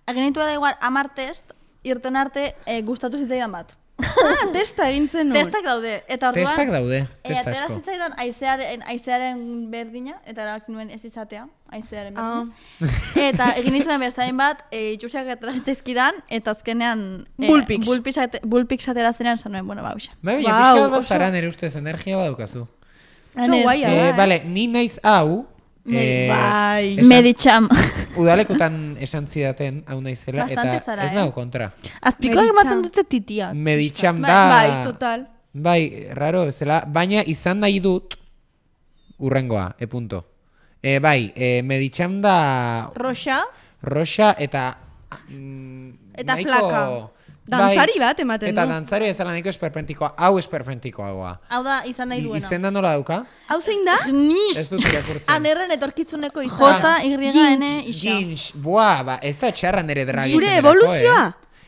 Egin dituela igual 10 test, irten arte gustatu zitzaidan bat. Testa egintzen nuen. Testak daude, eta orduan... Testak daude, testa Atera asko. zitzaidan aizearen berdina, eta erabaki nuen ez izatea, aizearen berdina. Eta egin nituen bestain bat, itxusiak atraztezkidan, eta azkenean... Bullpix. Bullpix atera zenean esan nuen, bueno, bauxa. Bai, Wow, pixka bat oso- zara nire ustez energia badaukazu. Oso guaia da. Bale, ni naiz hau... Bai. esan- Meditxam. Udalekutan esan zidaten hau naizela, Bastante eta zara, ez nago kontra. Azpikoak Meditxam. ematen dute titiak. Meditxam da... Bai, total. Bai, raro bezala, baina izan nahi dut urrengoa, punto. Bai, meditxam da Roxa, roxa eta... Eta nahiko- flaka. Dantzari bat ematen Eta du. dantzari ezala nahiko esperpentikoa, hau esperpentikoagoa. hau da izan nahi duena. Izenda nola dauka? Hau zein da? Ez dut irakurtzen. Anerren etorkizuneko izan. J-Y-N isa. Ginch, buah, ba, ez da txarra nire dragi. Zure izeneko, evoluzioa?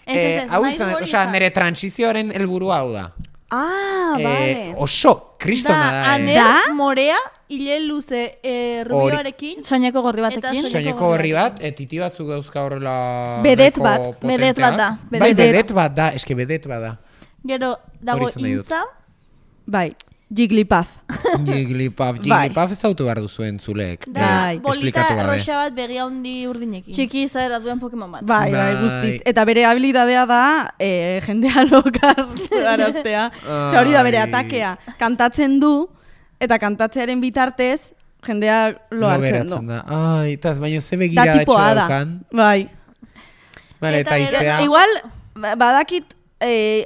Ez, hau nahi du izan, hori osea, izan. nire transizioaren helburua hau da. Vale. Oso, kristona da. Aner, morea, hile luze rubioarekin. Soineko gorri batekin. Eta Soineko horri bat, titi batzuk dauzka horrela... Bedet nahiko bat, potenteak. bedet bat da, Bai, bedet. bedet bat da, eske bedet bat da. Gero, dago Hori izan nahi dut. intza. Bai. Jigglypuff. Jigglypuff Bai. ez dautu behar duzuen zuleek. Da, Bai. bolita Esplikatu gabe. roxa bat begi handi urdinekin. Txiki izaera duen Pokemon bat. Bai, bai, Bai. guztiz. Eta bere habilidadea da jendea lokaraztea. Osea, hori da bere Ai. atakea. Kantatzen du, eta kantatzearen bitartez, jendea lo hartzen du. geratzen da. Ai, eta baina ze Da begira tipoa da. daukan. Bai. Vale, Eta eta gero- izea... Igual, badakit,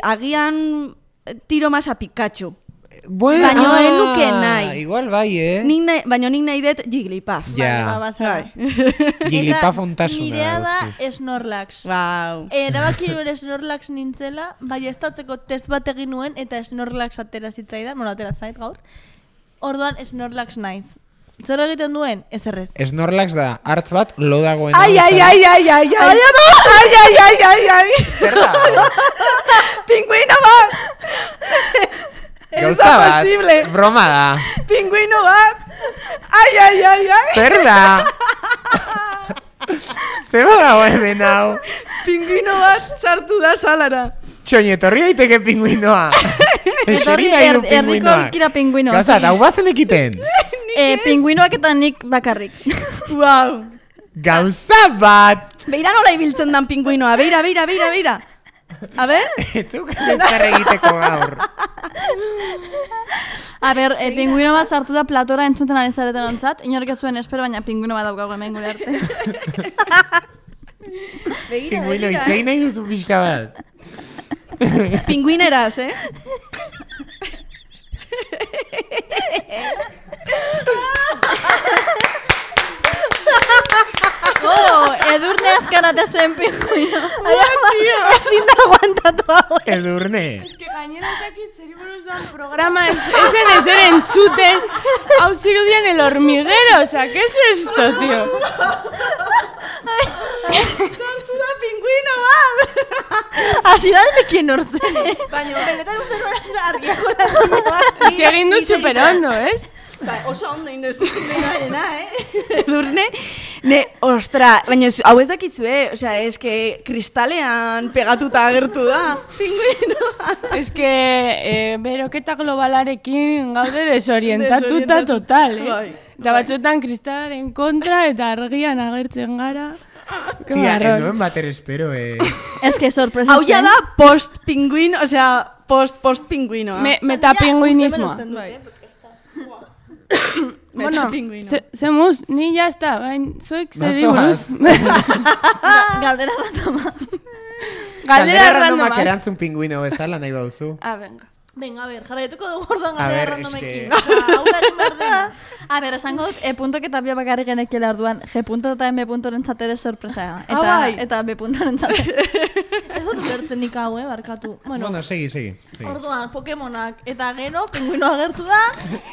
agian tiro masa Pikachu. Bueno, baino ez nuke nahi. Igual bai, Baina nik nahi dut Jigglypuff. Ja. Bazara. Jigglypuff ontasuna. Nirea da guztiz. Snorlax. Wow. Erabaki nuen Snorlax nintzela, bai estatzeko test bat egin nuen, eta Snorlax atera zitzaidan, bueno, atera zait gaur. Orduan Snorlax naiz. Zer egiten duen? Ez errez. Snorlax da, hartz bat, lo dagoen. Ai, ai, ai, ai, ai, ai. Ai, ai, ai, ai, ai. Zer da? Pingüino bat. Gauza da bat, posible. broma da. Pingüino bat. Ai, ai, ai, ai. Zer da? Zer dago hemen hau? Pingüino bat sartu da salara. Txoin, etorri daiteke pingüinoa. Eseri nahi du Erdiko pingüinoa. aurkira pingüinoa. Gauza, hau bazen ekiten. Pingüinoak eta nik bakarrik. Wow. Gauza bat. Beira nola ibiltzen dan pingüinoa. Beira, beira, beira, beira. A ver. Etzuk zer egiteko gaur. A ber, pingüino bat sartu da platora entzuten ari zareten ontzat. Inork ez zuen espero, baina pingüino bat daukagu hemen gure arte. Pingüino, itzein nahi duzu pixka bat. Pingüineraz, Edurne azkarate zen pingüino. Ezin da aguantatu hau. Edurne. que gainera ezakit zeri buruz programa esen ezer entzuten, hau zirudien el hormiguero, o sea, ¿qué es esto, tío? Kontura pingüino bat! Hasirarekin hortzen, baina benetan uste nora argiako lan. Es que egin dut superondo, ¿es? Ba, oso ondo indozu denarena, Edurne. Ostra, baina hau ez dakizue, osea, eske kristalean pegatuta agertu da, pingüino. Es que beroketa globalarekin gaude desorientatuta total, Bai. Eta batzuetan kristalaren kontra eta argian agertzen gara. Qué Tia, marrón. noen bater espero, Ez que sorpresa Hau ja da post-pingüino, osea, post-pingüinoa. Metapinguinismoa. Bai. Bueno, Metapinguino. zemuz, ni ya está, bain, zuek zeri Bazoaz. buruz. Galdera ratoma. Galdera randomak randomak. erantzun pingüino bezala nahi bauzu. Ah, venga. Venga, a ver, jarraituko dugu orduan A galdera ver, randomekin. eske- Osea, hau da egin behar dena. A ber, esango dut, puntok eta bi bakarrik genekiela orduan, G punto eta M puntoren zatera sorpresa. Eta B puntoren zatera. Ez dut ulertzen nik hau, barkatu. Bueno, Bueno, segi. orduan, Pokemonak eta gero, pingüino agertu da,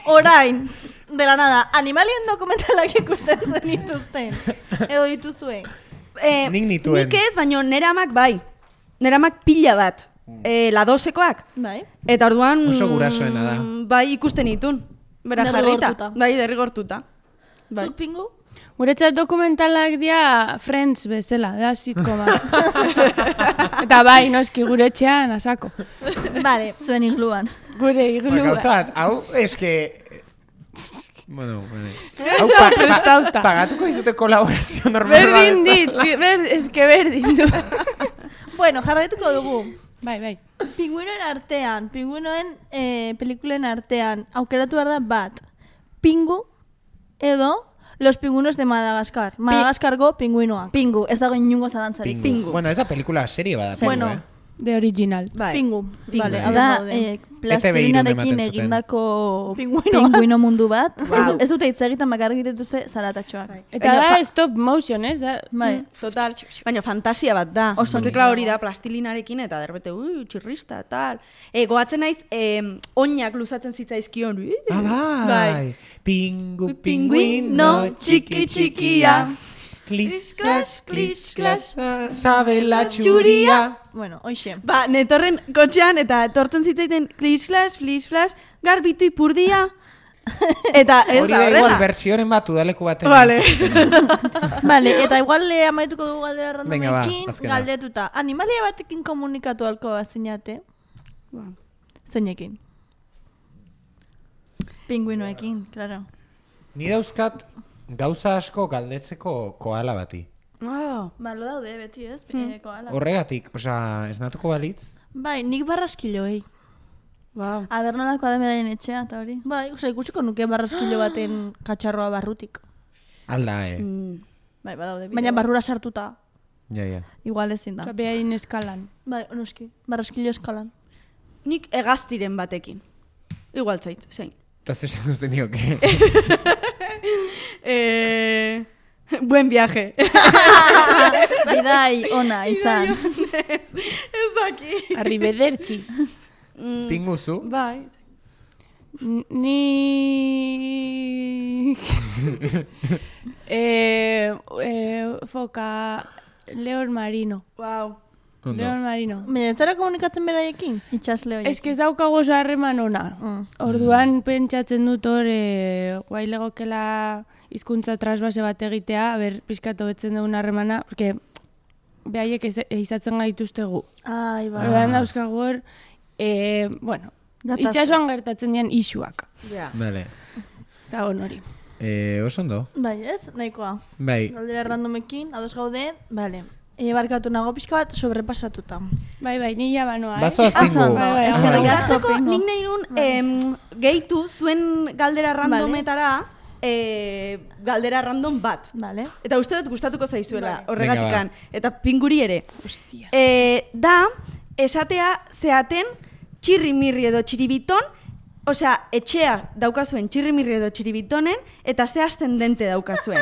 orain, de la nada, animalien dokumentalak ikusten zenituzten. Edo dituzue. Nik nituen. Nik ez, baina neramak bai. Neramak pila bat. Ladosekoak. Bai. Eta orduan... Oso gurasoena da. Bai, ikusten itun. Bera jarrita. Derrigortuta. Bai, derrigortuta. Bai. Zut pingu? Guretzat dokumentalak dia Friends bezala, da sitcoma. Eta bai, noski gure etxean asako. Vale. Zuen igluan. Gure iglu. Gauzat, hau, eske... Bueno, vale. Prestauta. Pagatuko dizute kolaborazio normal Berdin dit, eske berdin du. Bueno, jarraituko dugu. Bai. Pingüinoen artean, pingüinoen pelikulen artean, aukeratu behar da bat. Pingu edo Los pingüinos de Madagascar. Madagaskargo pingüinoak. Pingu, ez dago inungo zalantzarik. Pingu. Bueno, ez da pelikula serie bada. Bueno, Pingu, De original. Bai. Pingu. Vale, Bai. hau Da, daude. plastilinarekin ematen zuten. egindako Pingüinoa. pingüino mundu bat. Wow. Ez dute hitz egiten bakarrik dituzte zaratatxoak. Eta Baina da stop motion, ez da? Bai. Total. Baina fantasia bat da. Oso Porque, claro, hori da plastilinarekin eta derbete, txirrista, tal. Goatzen naiz, oinak luzatzen zitzaizkion. Ah, bai. Pingu, Pingüino, txiki txikia. Klis, klas, sabe la txuria. Bueno, hoxe. Ba, netorren kotxean eta etortzen zitzaiten flish flash, garbitu ipurdia. Eta ez Hori da da igual horrela. versioren bat udaleku baten. Vale. Vale, eta igual amaituko dugu galdera Venga, ba, randomekin, azkena. galdetuta. Animalia batekin komunikatu alko bazinate? Zeinekin. Pingüinoekin, claro. Ni dauzkat gauza asko galdetzeko koala bati. Oh. Ba, lo daude, beti ez? Koala. Horregatik, osea, esnatuko balitz. Bai, nik barraskiloei. Wow. A ber nolako ademedaren etxea, eta hori. Bai, osea, ikusiko nuke barraskilo baten katxarroa barrutik. Alda, Bai, badaude. Baina barrura sartuta. Ja. Igual ezin da. Behain eskalan. Bai, noski, barraskilo eskalan. Nik hegaztiren batekin. Igual zait, zein. Eta zesan duzten nioke. Buen viaje. Bidai ona izan. Ez daki. Arrivederci. Pinguzu? Bai. Ni... foka... León marino. Wow. León marino. Baina ez zara komunikatzen beraiekin? Itxasle hori. Ez que ez daukago oso harreman ona. Orduan pentsatzen dut hor, guai legokela hizkuntza trasbase bat egitea, ber, pixkat hobetzen dugun harremana, porque behaiek izatzen gaituztegu. Ai, bai. Orduan dauzkagu hor, bueno, itxasuan gertatzen dian isuak. Ja. Vale. Zagon hori. Oso ondo. Bai, ez? Nahikoa. Bai. Galdera randomekin, ados gaude, bale. Barkatu nago pixka bat sobrepasatuta. Bai, ni ja banoa, Bazoaz Oso pingu. ondo, Bai, eskerrik bai. asko pingu. Nik nahi nun gehitu zuen galdera randometara galdera random bat. Vale. Eta uste dut gustatuko zaizuela, Venga, horregatikan. Eta pinguri ere. Da, esatea zeaten txirrimirri edo txiribiton, osea, etxea daukazuen txirrimirri edo txiribitonen, eta ze ascendente daukazuen.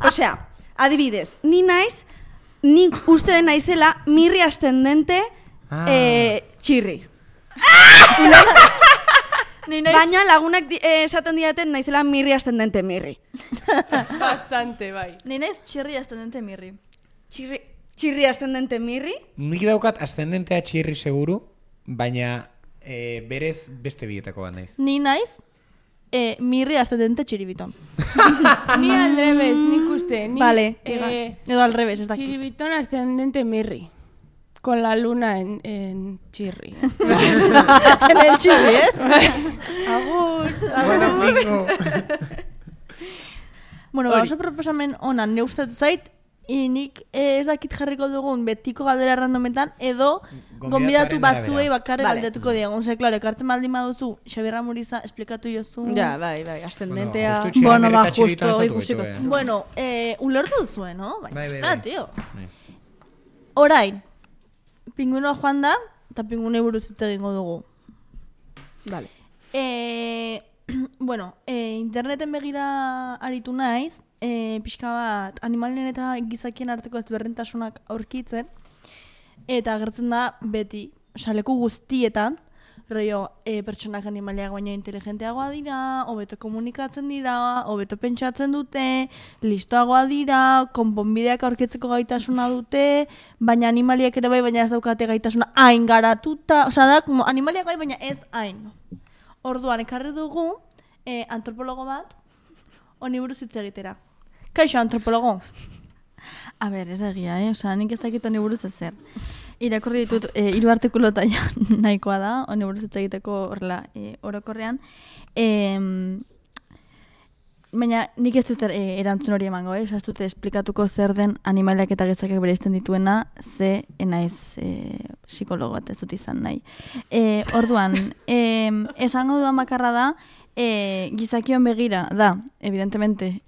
Osea, adibidez, nik uste den naizela mirri ascendente txirri. Ni naiz, Baina lagunak esaten diaten naizela mirri ascendente mirri. Bastante, bai. ni naiz txirri ascendente mirri. Txirri ascendente mirri? Nik daukat ascendentea txirri seguru, baina berez beste bietako bat naiz. Ni naiz mirri ascendente txiribiton. Ni al revés, nik uste. Ni, Vale, edo al revés, ez dakit. Chiribitón ascendente mirri. Con la luna en chirri. En el txirri, Agur. Bueno, bingo. Bueno, ba, oso proposamen onan ne gustatu zait, nik ez dakit jarriko dugun betiko galdera randometan, edo gonbidatu batzuei bakarrik Vale. galdetuko diegun. Ze, klaro, ekartzen baldin baduzu, Xabierra Muriza esplikatu jozu. Ja, bai, ascendentea. Justu Bueno, ba, txirri justo, eta ikusiko. Bueno, ulertu duzue, no? Baina, Bai, ez bai, da, bai. tio. Bai. Orain, pinguinoa joan da, eta pinguinei buruz hitz egingo dugu. Vale. Bueno, interneten begira aritu naiz, pixka bat animalien eta gizakien arteko ezberdintasunak aurkitzen, eta agertzen da beti, leku guztietan, rollo, pertsonak animaliak baina inteligenteagoa dira, hobeto komunikatzen dira, hobeto pentsatzen dute, listoagoa dira, konponbideak aurkitzeko gaitasuna dute, baina animaliak ere bai, baina ez daukate gaitasuna hain garatuta, osea da, como animaliak bai, baina ez hain. Orduan, ekarri dugu antropologo bat, honi buruz hitz egitera. Kaixo, antropologo? A ber, ez egia, Osea, nik ez dakit honi buruz ezer. Irakurri ditut 3 artikulota ja nahikoa da, honi buruz hitz egiteko horrela orokorrean. Baina nik ez dut erantzun hori emango, Osea, ez dut esplikatuko zer den animaliak eta gizakiak bereizten dituena, ze naiz psikologo bat ez dut izan nahi. Orduan, esango dudan bakarra da, gizakion begira da, evidentemente,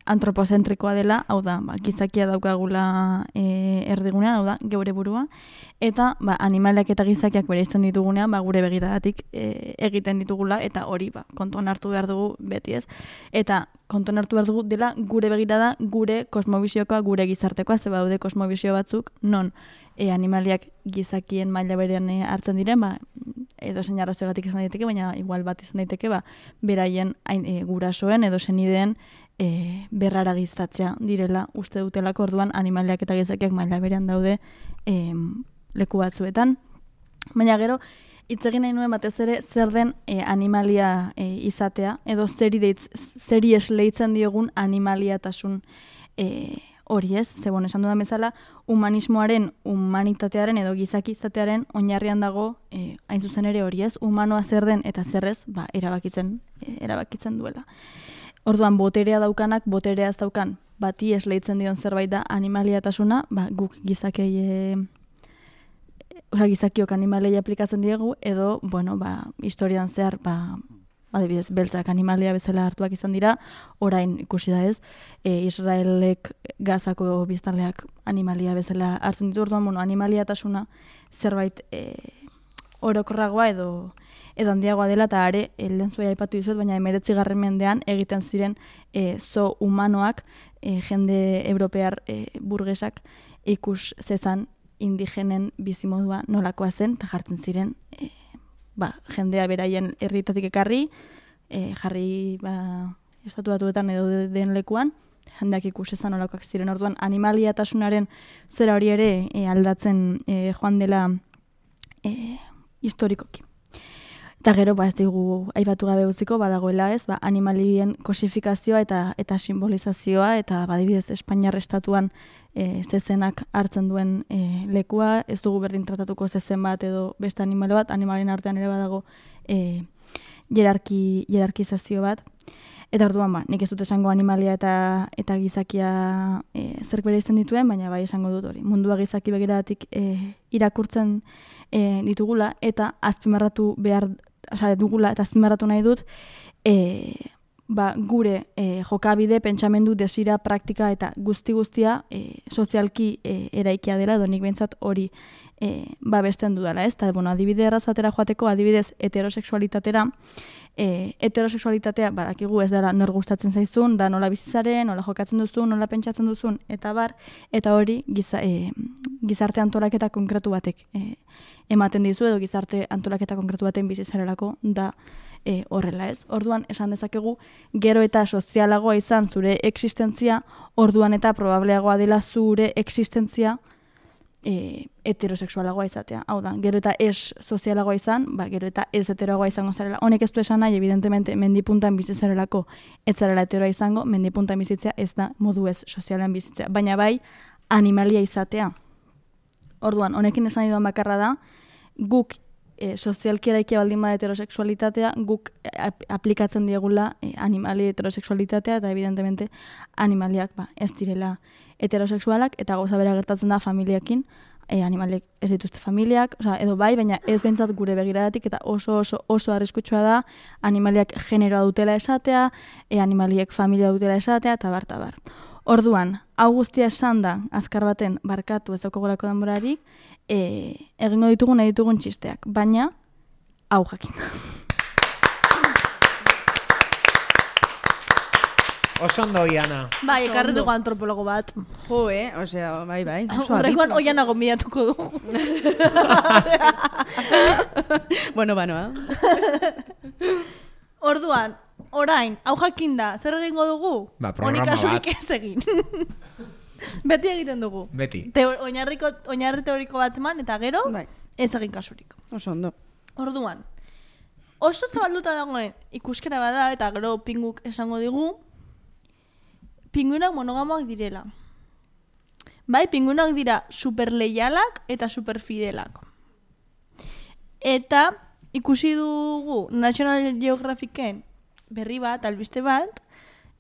antropozentrikoa dela, hau da, gizakia daukagula erdigunean, hau da, geure burua, eta animaliak eta gizakiak bereizten ditugunean, gure begiradatik egiten ditugula, eta hori kontuan hartu behar dugu beti ez. Eta kontuan hartu behar dugu dela gure begirada, gure kosmobiziokoa, gure gizartekoa, ze daude kosmobizio batzuk, non animaliak gizakien maila berean hartzen diren, edo zein arrazoegatik izan daiteke, baina igual bat izan daiteke, beraien gurasoen edo senideen berraragiztatzea direla uste dutelako, orduan animaliak eta gizakiak maila berean daude leku batzuetan. Baina gero, hitz egin nahi nuen batez ere zer den animalia izatea, edo zeri esleitzen diogun animaliatasun hori ez, ze esan dudan bezala, humanismoaren, humanitatearen edo gizakizatearen oinarrian dago hain zuzen ere hori ez, humanoa zer den eta zerrez, erabakitzen duela. Orduan, boterea daukanak, boterea ez daukan, bati esleitzen dion zerbait da animaliatasuna, guk gizakiok animalei aplikatzen diegu, edo, historian zehar, adibidez, beltzak animalia bezala hartuak izan dira, orain ikusi da ez, Israelek Gazako biztanleak animalia bezala hartzen ditu, orduan, animaliatasuna zerbait orokorragoa edo handiagoa dela, eta are, lehen zuea aipatu dizuet, baina 19. mendean egiten ziren zo humanoak, jende europear burgesak ikus zezan indigenen bizimodua nolakoa zen, eta jartzen ziren jendea beraien herrietatik ekarri, jarri estatu batuetan edo den lekuan, jendeak ikusezan olakoak ziren. Orduan, animaliatasunaren zera hori ere aldatzen joan dela historikoki. Eta gero, ez digu aipatu gabe utziko, badagoela ez, animalien kosifikazioa eta simbolizazioa, eta badibidez Espainiar estatuan zezenak hartzen duen lekua, ez dugu berdin tratatuko zezen bat edo beste animalo bat, animalien artean ere badago jerarkizazio bat. Eta orduan, nik ez dut esango animalia eta gizakia zerk bereizten dituen, baina bai esango dut hori. Mundua gizaki begiratik irakurtzen ditugula, eta azpimarratu behar dugula, eta azpimarratu nahi dut, gure jokabide, pentsamendu, desira, praktika eta guztia sozialki eraikia dela, edo nik behintzat hori babesten dudala, ez? Eta, adibide erraz batera joateko, adibidez heterosexualitatera, heterosexualitatea, badakigu ez dela nor gustatzen zaizun, da nola bizitzaren, nola jokatzen duzun, nola pentsatzen duzun, eta hori gizarte antolaketa konkretu batek ematen dizu edo gizarte antolaketa konkretu baten bizi zarelako da horrela ez. Orduan esan dezakegu gero eta sozialagoa izan zure existentzia, orduan eta probableagoa dela zure existentzia heterosexualagoa izatea. Hau da, gero eta ez sozialagoa izan, gero eta ez heteroagoa izango zarela. Honek ez du esan nahi, evidentemente, mendipuntan bizi zarelako ez zarela heteroa izango, mendipuntan bizitzea ez da modu ez sozialean bizitzea. Baina bai, animalia izatea. Orduan, honekin esan duan bakarra da, guk sozialki eraikia baldin bada heterosexualitatea, guk aplikatzen diegula animali heterosexualitatea, eta evidentemente animaliak ez direla heterosexualak, eta gauza bera gertatzen da familiakin, animaliek ez dituzte familiak, edo bai, baina ez bentsat gure begiradatik, eta oso arriskutsua da, animaliak generoa dutela esatea, animaliek familia dutela esatea, eta bar. Orduan, hau guztia esan da, azkar baten barkatu ez daukagolako denborarik, egingo ditugun nahi ditugun txisteak, baina hau jakin. Oso ondo, Iana. Bai, ekarri dugu antropologo bat. Jo, osea, bai. Horrekoan oiana gonbidatuko dugu. Bueno, banoa. Orduan, orain, hau jakin da, zer egingo dugu? Programa kasurik bat. ez egin. Beti egiten dugu. Beti. Oinarri teoriko bat eman, eta gero, ez egin kasurik. Oso ondo. Orduan, oso zabalduta dagoen ikuskera bada, eta gero pinguk esango digu, pinguinak monogamoak direla. Bai, pinguinak dira superleialak eta superfidelak. Eta ikusi dugu National Geographicen berri bat, albiste bat,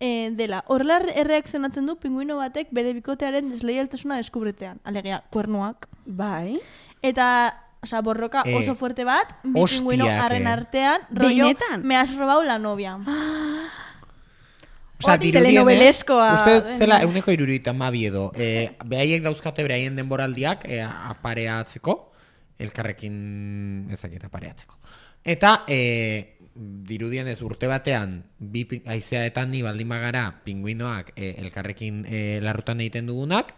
dela, horrela erreakzionatzen du pinguino batek bere bikotearen desleialtasuna deskubritzean. Alegia, kuernuak. Bai. Eta, borroka oso fuerte bat, bi pinguino harren artean, rollo, me has robado la novia. Telenovelescoa. Uste zela euneko 72 edo. Behaiek dauzkate beraien denboraldiak apareatzeko, elkarrekin ezaketa apareatzeko. Eta dirudien ez urte batean, bi haizeaetan ni baldin bagara pinguinoak elkarrekin larrutan egiten dugunak,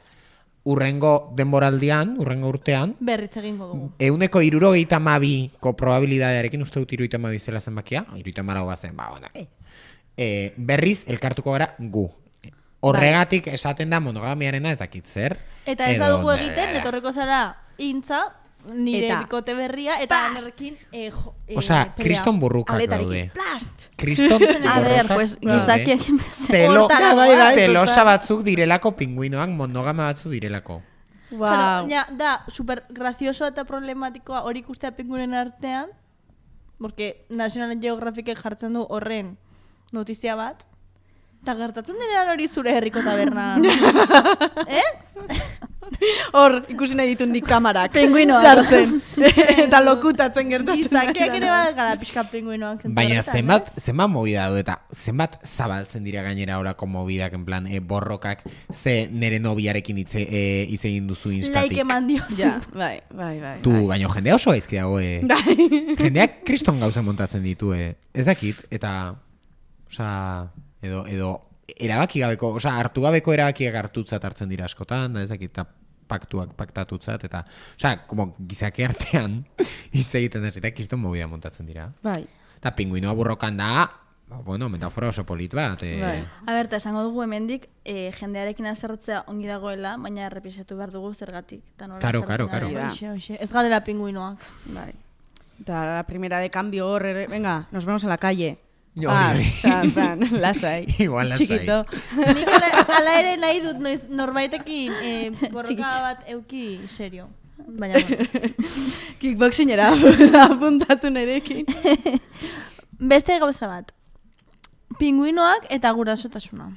urrengo denboraldian, urrengo urtean, berriz egingo dugu. Euneko 72ko probabilidadearekin, uste dut 72 zela zenbakia, 74 bazen, berriz elkartuko gara gu. Horregatik esaten da monogamiarena ez dakit zer. Eta ez badugu egiten, etorreko zara intza, nire bikote berria, eta anerrekin kriston burrukak daude. Plast! Kriston burrukak gizakiak zelosa batzuk direlako pinguinoak, monogama batzuk direlako. Wow. Da, super gracioso eta problematikoa hori ikustea pinguinen artean, porque National Geographic jartzen du horren notizia bat, eta gertatzen denean hori zure herriko taberna. Hor, ikusi nahi ditundik kamarak. Pinguinoak. Sartzen. Eta lokutatzen gertatzen. Gizakiak ere bat gara pixka pinguinoak. Baina zenbat movida du eta zenbat zabaltzen dira gainera orako movidak, en plan, borrokak, ze nere nobiarekin hitz egin duzu instatik. Like eman diozu. Ja, bai. Tu, baina jendea oso gaizki dago, Jendeak kriston gauza montatzen ditu, Ez dakit, eta, edo erabaki gabeko, hartu gabeko erabakiak hartutzat hartzen dira askotan, da ezakit, eta paktuak paktatutzat, eta, como gizake artean hitz egiten ez, eta kriston movida montatzen dira. Bai. Eta pinguinoa burrokan da, metafora oso polit bat. Aberta, esango dugu hemendik, jendearekin azerratzea ongi dagoela, baina errepisatu behar dugu zergatik. Karo. Ez garela pinguinoak. Bai. Eta la primera de cambio hor, venga, nos vemos en la calle. Lasai. Igual lasai. Chiquito. Nik ala ere nahi dut norbaitekin borroka bat euki serio. Baina kickboxingera apuntatu nerekin. Beste gauza bat. Pinguinoak eta gurasotasuna.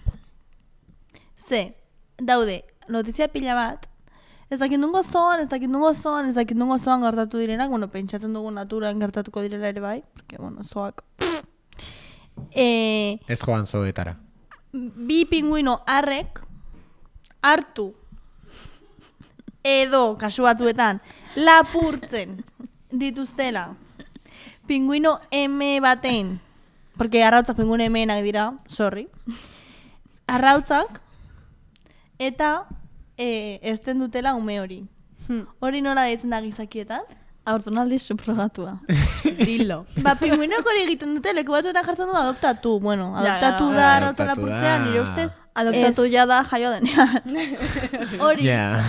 Daude, notizia pila bat, ez dakit nungo zoan gertatu direnak, pentsatzen dugu naturan gertatuko direla ere bai, porque, zoak... Ez joan zoetara. Bi pinguino harrek hartu edo kasu batzuetan lapurtzen dituztela pinguino eme baten, porque arrautzak pinguino emenak dira, sorry, arrautzak, eta ezten dutela ume hori. Hori nola deitzen da gizakietan? Aurtonaldi subrogatua. Dilo. Ba, pinguinok hori egiten dute, leku batzuetan jartzen du adoptatu. Bueno, Ja, adoptatu ja, da, ja. arrotza Adoptatu lapurtzean, da. nire ustez. Adoptatu ez. ja da jaio denean. Hori. Ja.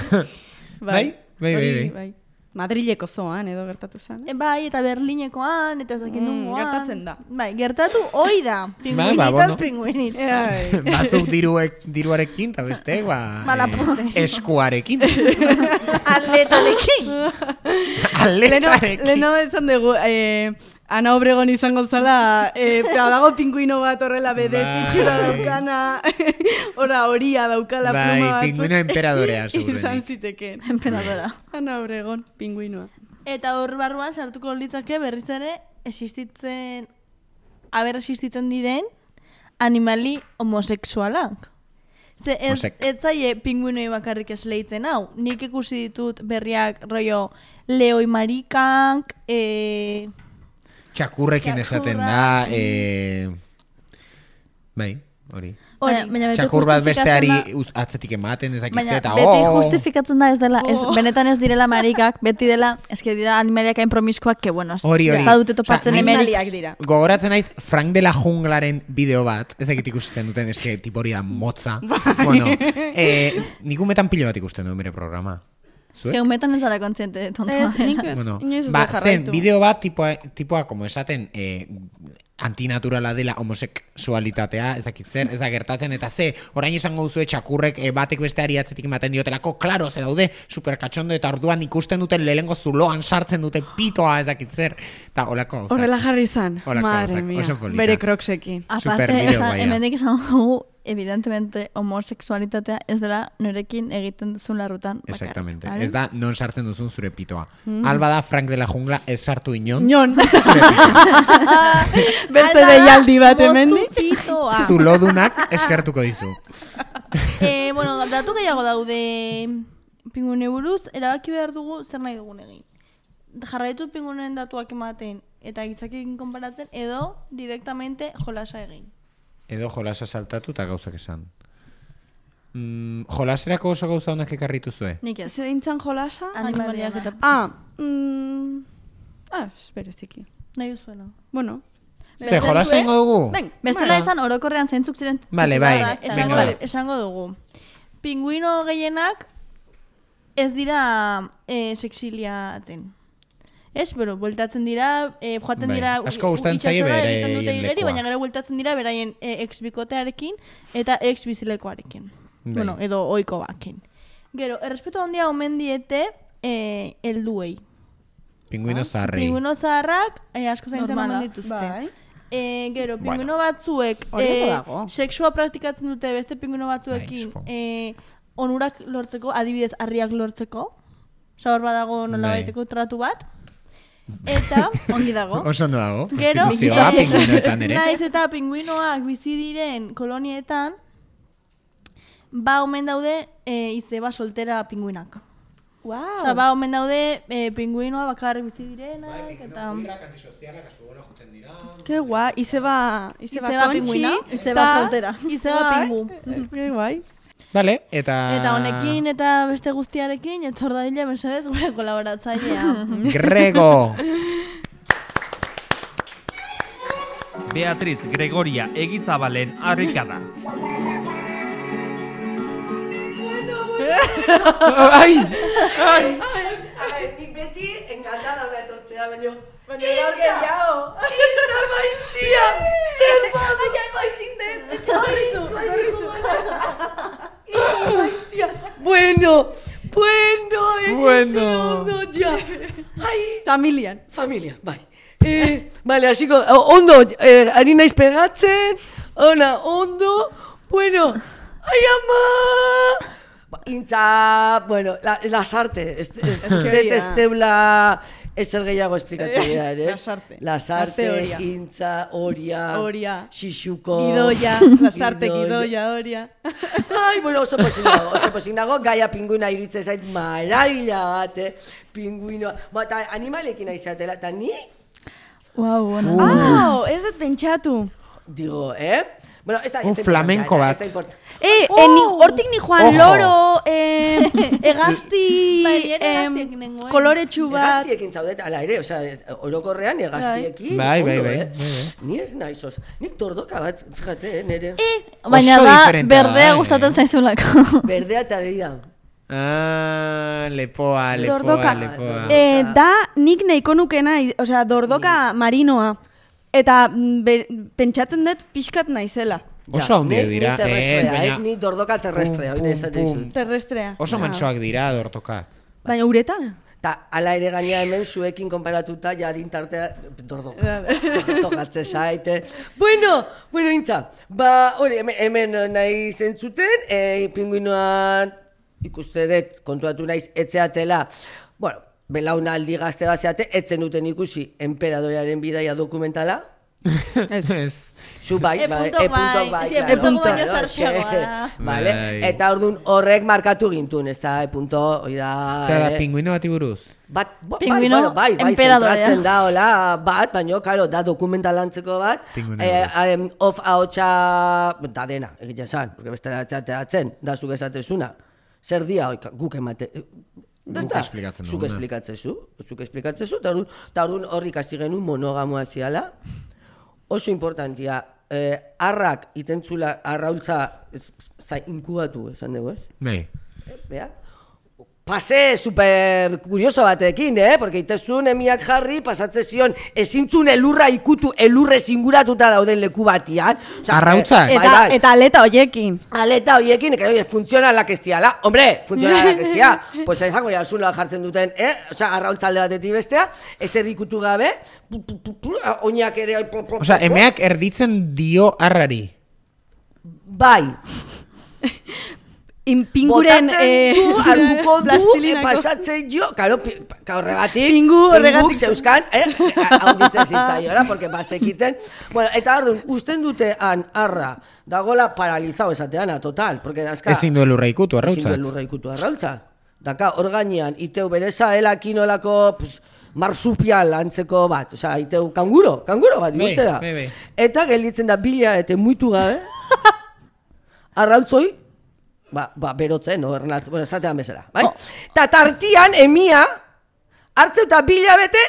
Bai? Bai. Madrileko zoan edo gertatu zen. Bai, eta Berlinekoan, eta ez dakit nungoan. gertatzen da. Bai, gertatu hoi da. bueno. Pinguinitos, pinguinit. Batzuk diruarekin, eta beste, Lapurtzen. eskuarekin. Atletarekin. Atletarekin. Leno esan dugu, Ana Obregon izango zala, dago pinguino bat horrela bedetitxura daukana, horia daukala pluma Bai, batzuk. pinguino emperadorea, Izan segurenik. ziteken. Emperadora. Ana Obregon, pinguinoa. Eta hor barruan sartuko litzake berriz ere existitzen diren animali homosexualak. Ze ez Homosek. zaie pinguinoi bakarrik esleitzen hau. Nik ikusi ditut berriak rollo leoi marikak, Txakurrekin esaten da, bai, hori. Baina beti Txakur bat besteari justifikatzen atzetik ematen ezakitze Baina eta beti justifikatzen da ez dela, benetan ez direla marikak, beti dela, eske dira animaliak hain promiskoak, que bueno, Hori. ez badute topatzen Osea, emerik. Animaliak dira. Gogoratzen naiz Frank de la Junglaren bideo bat, ezakit ikusten duten, eske tipo hori da motza. Bueno, nik umetan pilo bat ikusten duen bere programa. Eske umetan ez dara kontziente tontoa. Ez, nik ez, Bueno, inoiz ez ba, dut jarraitu. zen bideo bat tipoa como esaten antinaturala dela homosexualitatea, ezakit zer, ez da gertatzen, eta ze, orain esango duzue txakurrek batek besteari atzetik ematen diotelako, klaro, ze daude, superkatxondo, eta orduan ikusten duten lehengo zuloan sartzen dute pitoa, ezakit zer, eta holako gauzak. Horrela jarri izan, Holako madre gauzak, mia, oso polita. bere kroksekin. Aparte, Superbideo guaia. hemendik esan dugu, evidentemente, homosexualitatea ez dela norekin egiten duzun larrutan bakarrik. Exactamente, vale? ez da non sartzen duzun zure pitoa. Alba da Frank de la Jungla ez sartu inon, Nion, zure pitoa. beste deialdi bat hemendik. Moztu pitoa. Zulodunak eskertuko dizu. Bueno, datu gehiago daude pinguine buruz, erabaki behar dugu zer nahi dugun egin. Jarraitu pinguinen datuak ematen eta gizakekin konparatzen, edo directamente jolasa egin. Edo jolasa saltatu eta gauzak esan. Jolaserako oso gauza honak ekarritu zue? Nik ez. Zeintzan jolasa? Animaliak eta Espereziki. nahi duzuena. Bueno, Ze, jolasa ingo dugu? ben, Bestela esan orokorrean zeintzuk ziren. Vale, bai. titularrak, eta Esango, Venga. esango dugu. Pinguino gehienak ez dira sexiliatzen. Ez, pero bueltatzen dira, joaten Bai. dira Asko gustatzen zaie itsasora beraien egiten dute igeri, lekua. baina gero bueltatzen dira beraien ex-bikotearekin eta ex-bizilekoarekin. Bai. Bueno, edo ohiko bakin. Gero, errespetu handia omen diete helduei. Pinguino zaharrei. Pinguino zaharrak asko zaintzen Normala. omen dituzte. bai. Gero, pinguino batzuek Hori ondo dago. sexua praktikatzen dute beste pinguino batzuekin Bai, onurak lortzeko, adibidez harriak lortzeko. Osa hor badago nola Bai. baiteko tratu bat. Eta, ongi dago. Oso ondo dago. Gero, Prostituzioa pinguinoetan ere. naiz eta pinguinoak bizi diren kolonietan, ba omen daude izeba soltera pinguinak. Wow. Osa, ba omen daude pinguinoa bakarrik bizi direnak, eta... Ke guai, izeba Izeba kontxi, pinguina, izeba eta- soltera. Izeba Bai. pingu. Ke guai. Vale, eta... Eta honekin eta beste guztiarekin, etor dadila mesedez gure kolaboratzailea. Grego! Beatriz Gregoria Egizabalen harrikada. Ai! Nik beti encantada me etortzea, baina gaur gehiago. Itza maitia! Zer badu! Ai, baizin den! Itza maitia! Bueno, Bueno. ondo, ja. Ai, Familian. familia, bai. Vale, hasiko, ondo, ari naiz pegatzen, ondo, bueno, ai ama! Intza, bueno, lasarte, ez teula ezer gehiago esplikatu behar, ez? Lasarte. Lasarte, Oria. intza, oria, Oria. xixuko, Gidoia, lasarte gidoia, horia. Ai, bueno, oso pozik nago, gaia pinguina iruditzen zait maravilla bat, pinguinoa. Eta animalekin aizatela, eta ni? Wow, bueno. Ez dut pentsatu. digo, Bueno, ez da flamenko bat. Hortik ni Juan Ojo. Loro, egazti, Bai, egaztiek nengoen. koloretsu bat. Egaztiekin zaudet, ala ere, orokorrean egaztiekin. Bai. Ni ez naizos. Nik tordoka bat, fíjate, nere. Baina Oso da, diferentea da, berdea gustatzen zaizulako. Berdea eta begia. Lepoa. Dordoka. Da nik nahiko nukena, dordoka marinoa. Eta pentsatzen dut pixkat naizela. Oso handia dira. Ni terrestrea, baina- ni dordoka terrestrea, hori esaten dizut. Terrestrea. Oso mantsoak dira dortokak. Baina uretan? Ta, ala ere gaina hemen zuekin konparatuta, ja dintartea, tokatze zaite. Bueno, intza, hori, hemen nahi zentzuten, pinguinoan ikuste dut, kontuatu naiz, etzeatela, bueno, belaunaldi gazte bat zeate, etzen duten ikusi Enperadorearen bidaia dokumentala. Ez. Zu bai, E-puntok bai, E-puntok baino zartxeagoa da. Vale, Bai. eta orduan horrek markatu gintun, ez da, E-punto, hoi da... Zer da, pinguino bati buruz? Pingüino enperadorea. Zentratzen da, hola, bat, baina, karo, da dokumentalantzeko bat, Pingüino off ahotsa, da dena, egitea zan, porque bestela ateratzen, da zuk esatezuna, zer dia, guk emate, Guk esplikatzen zuk duguna. esplikatzezu, eta orduan horrik hasi genuen monogamoa ziala, oso importantia, arrak itentzula, arraultza inkubatu, esan dugu, ez? Bai. Bea? Pase super kurioso batekin, porque itezun emiak jarri, pasatze zion, ezintzun elurra ikutu, elurrez inguratuta dauden leku batian. Arrautzak? Eta aleta hoiekin. Aleta hoiekin, que funtzionalak ez diala. Hombre, funtzionalak ez dia. Pues esango jasula jartzen duten, arrautzalde batetik bestea, ezer ikutu gabe, oinak ere... Emeak erditzen dio arrari. Bai. Pinguren hartuko du, plastilinako. pasatzen jo, karo, horregatik, Horregatik. zeuskan, haunditzen zitzaiora, porque basekiten. Bueno, eta orduan, usten dutean arra, dagola paralizao esateana, total, porque dazka... Ezin du elurra ikutu Ezin du arrautzak. elurra ikutu arrautza. Daka, hor gainean, iteu bereza, kinolako, marsupial antzeko bat, iteu kanguro bat, bihurtze da. Bai. Eta gelditzen da bila eta muitu gabe, arrautzoi, berotzen, esatean bezala, bai? Ta tartian, emia, hartzeu eta bila bete,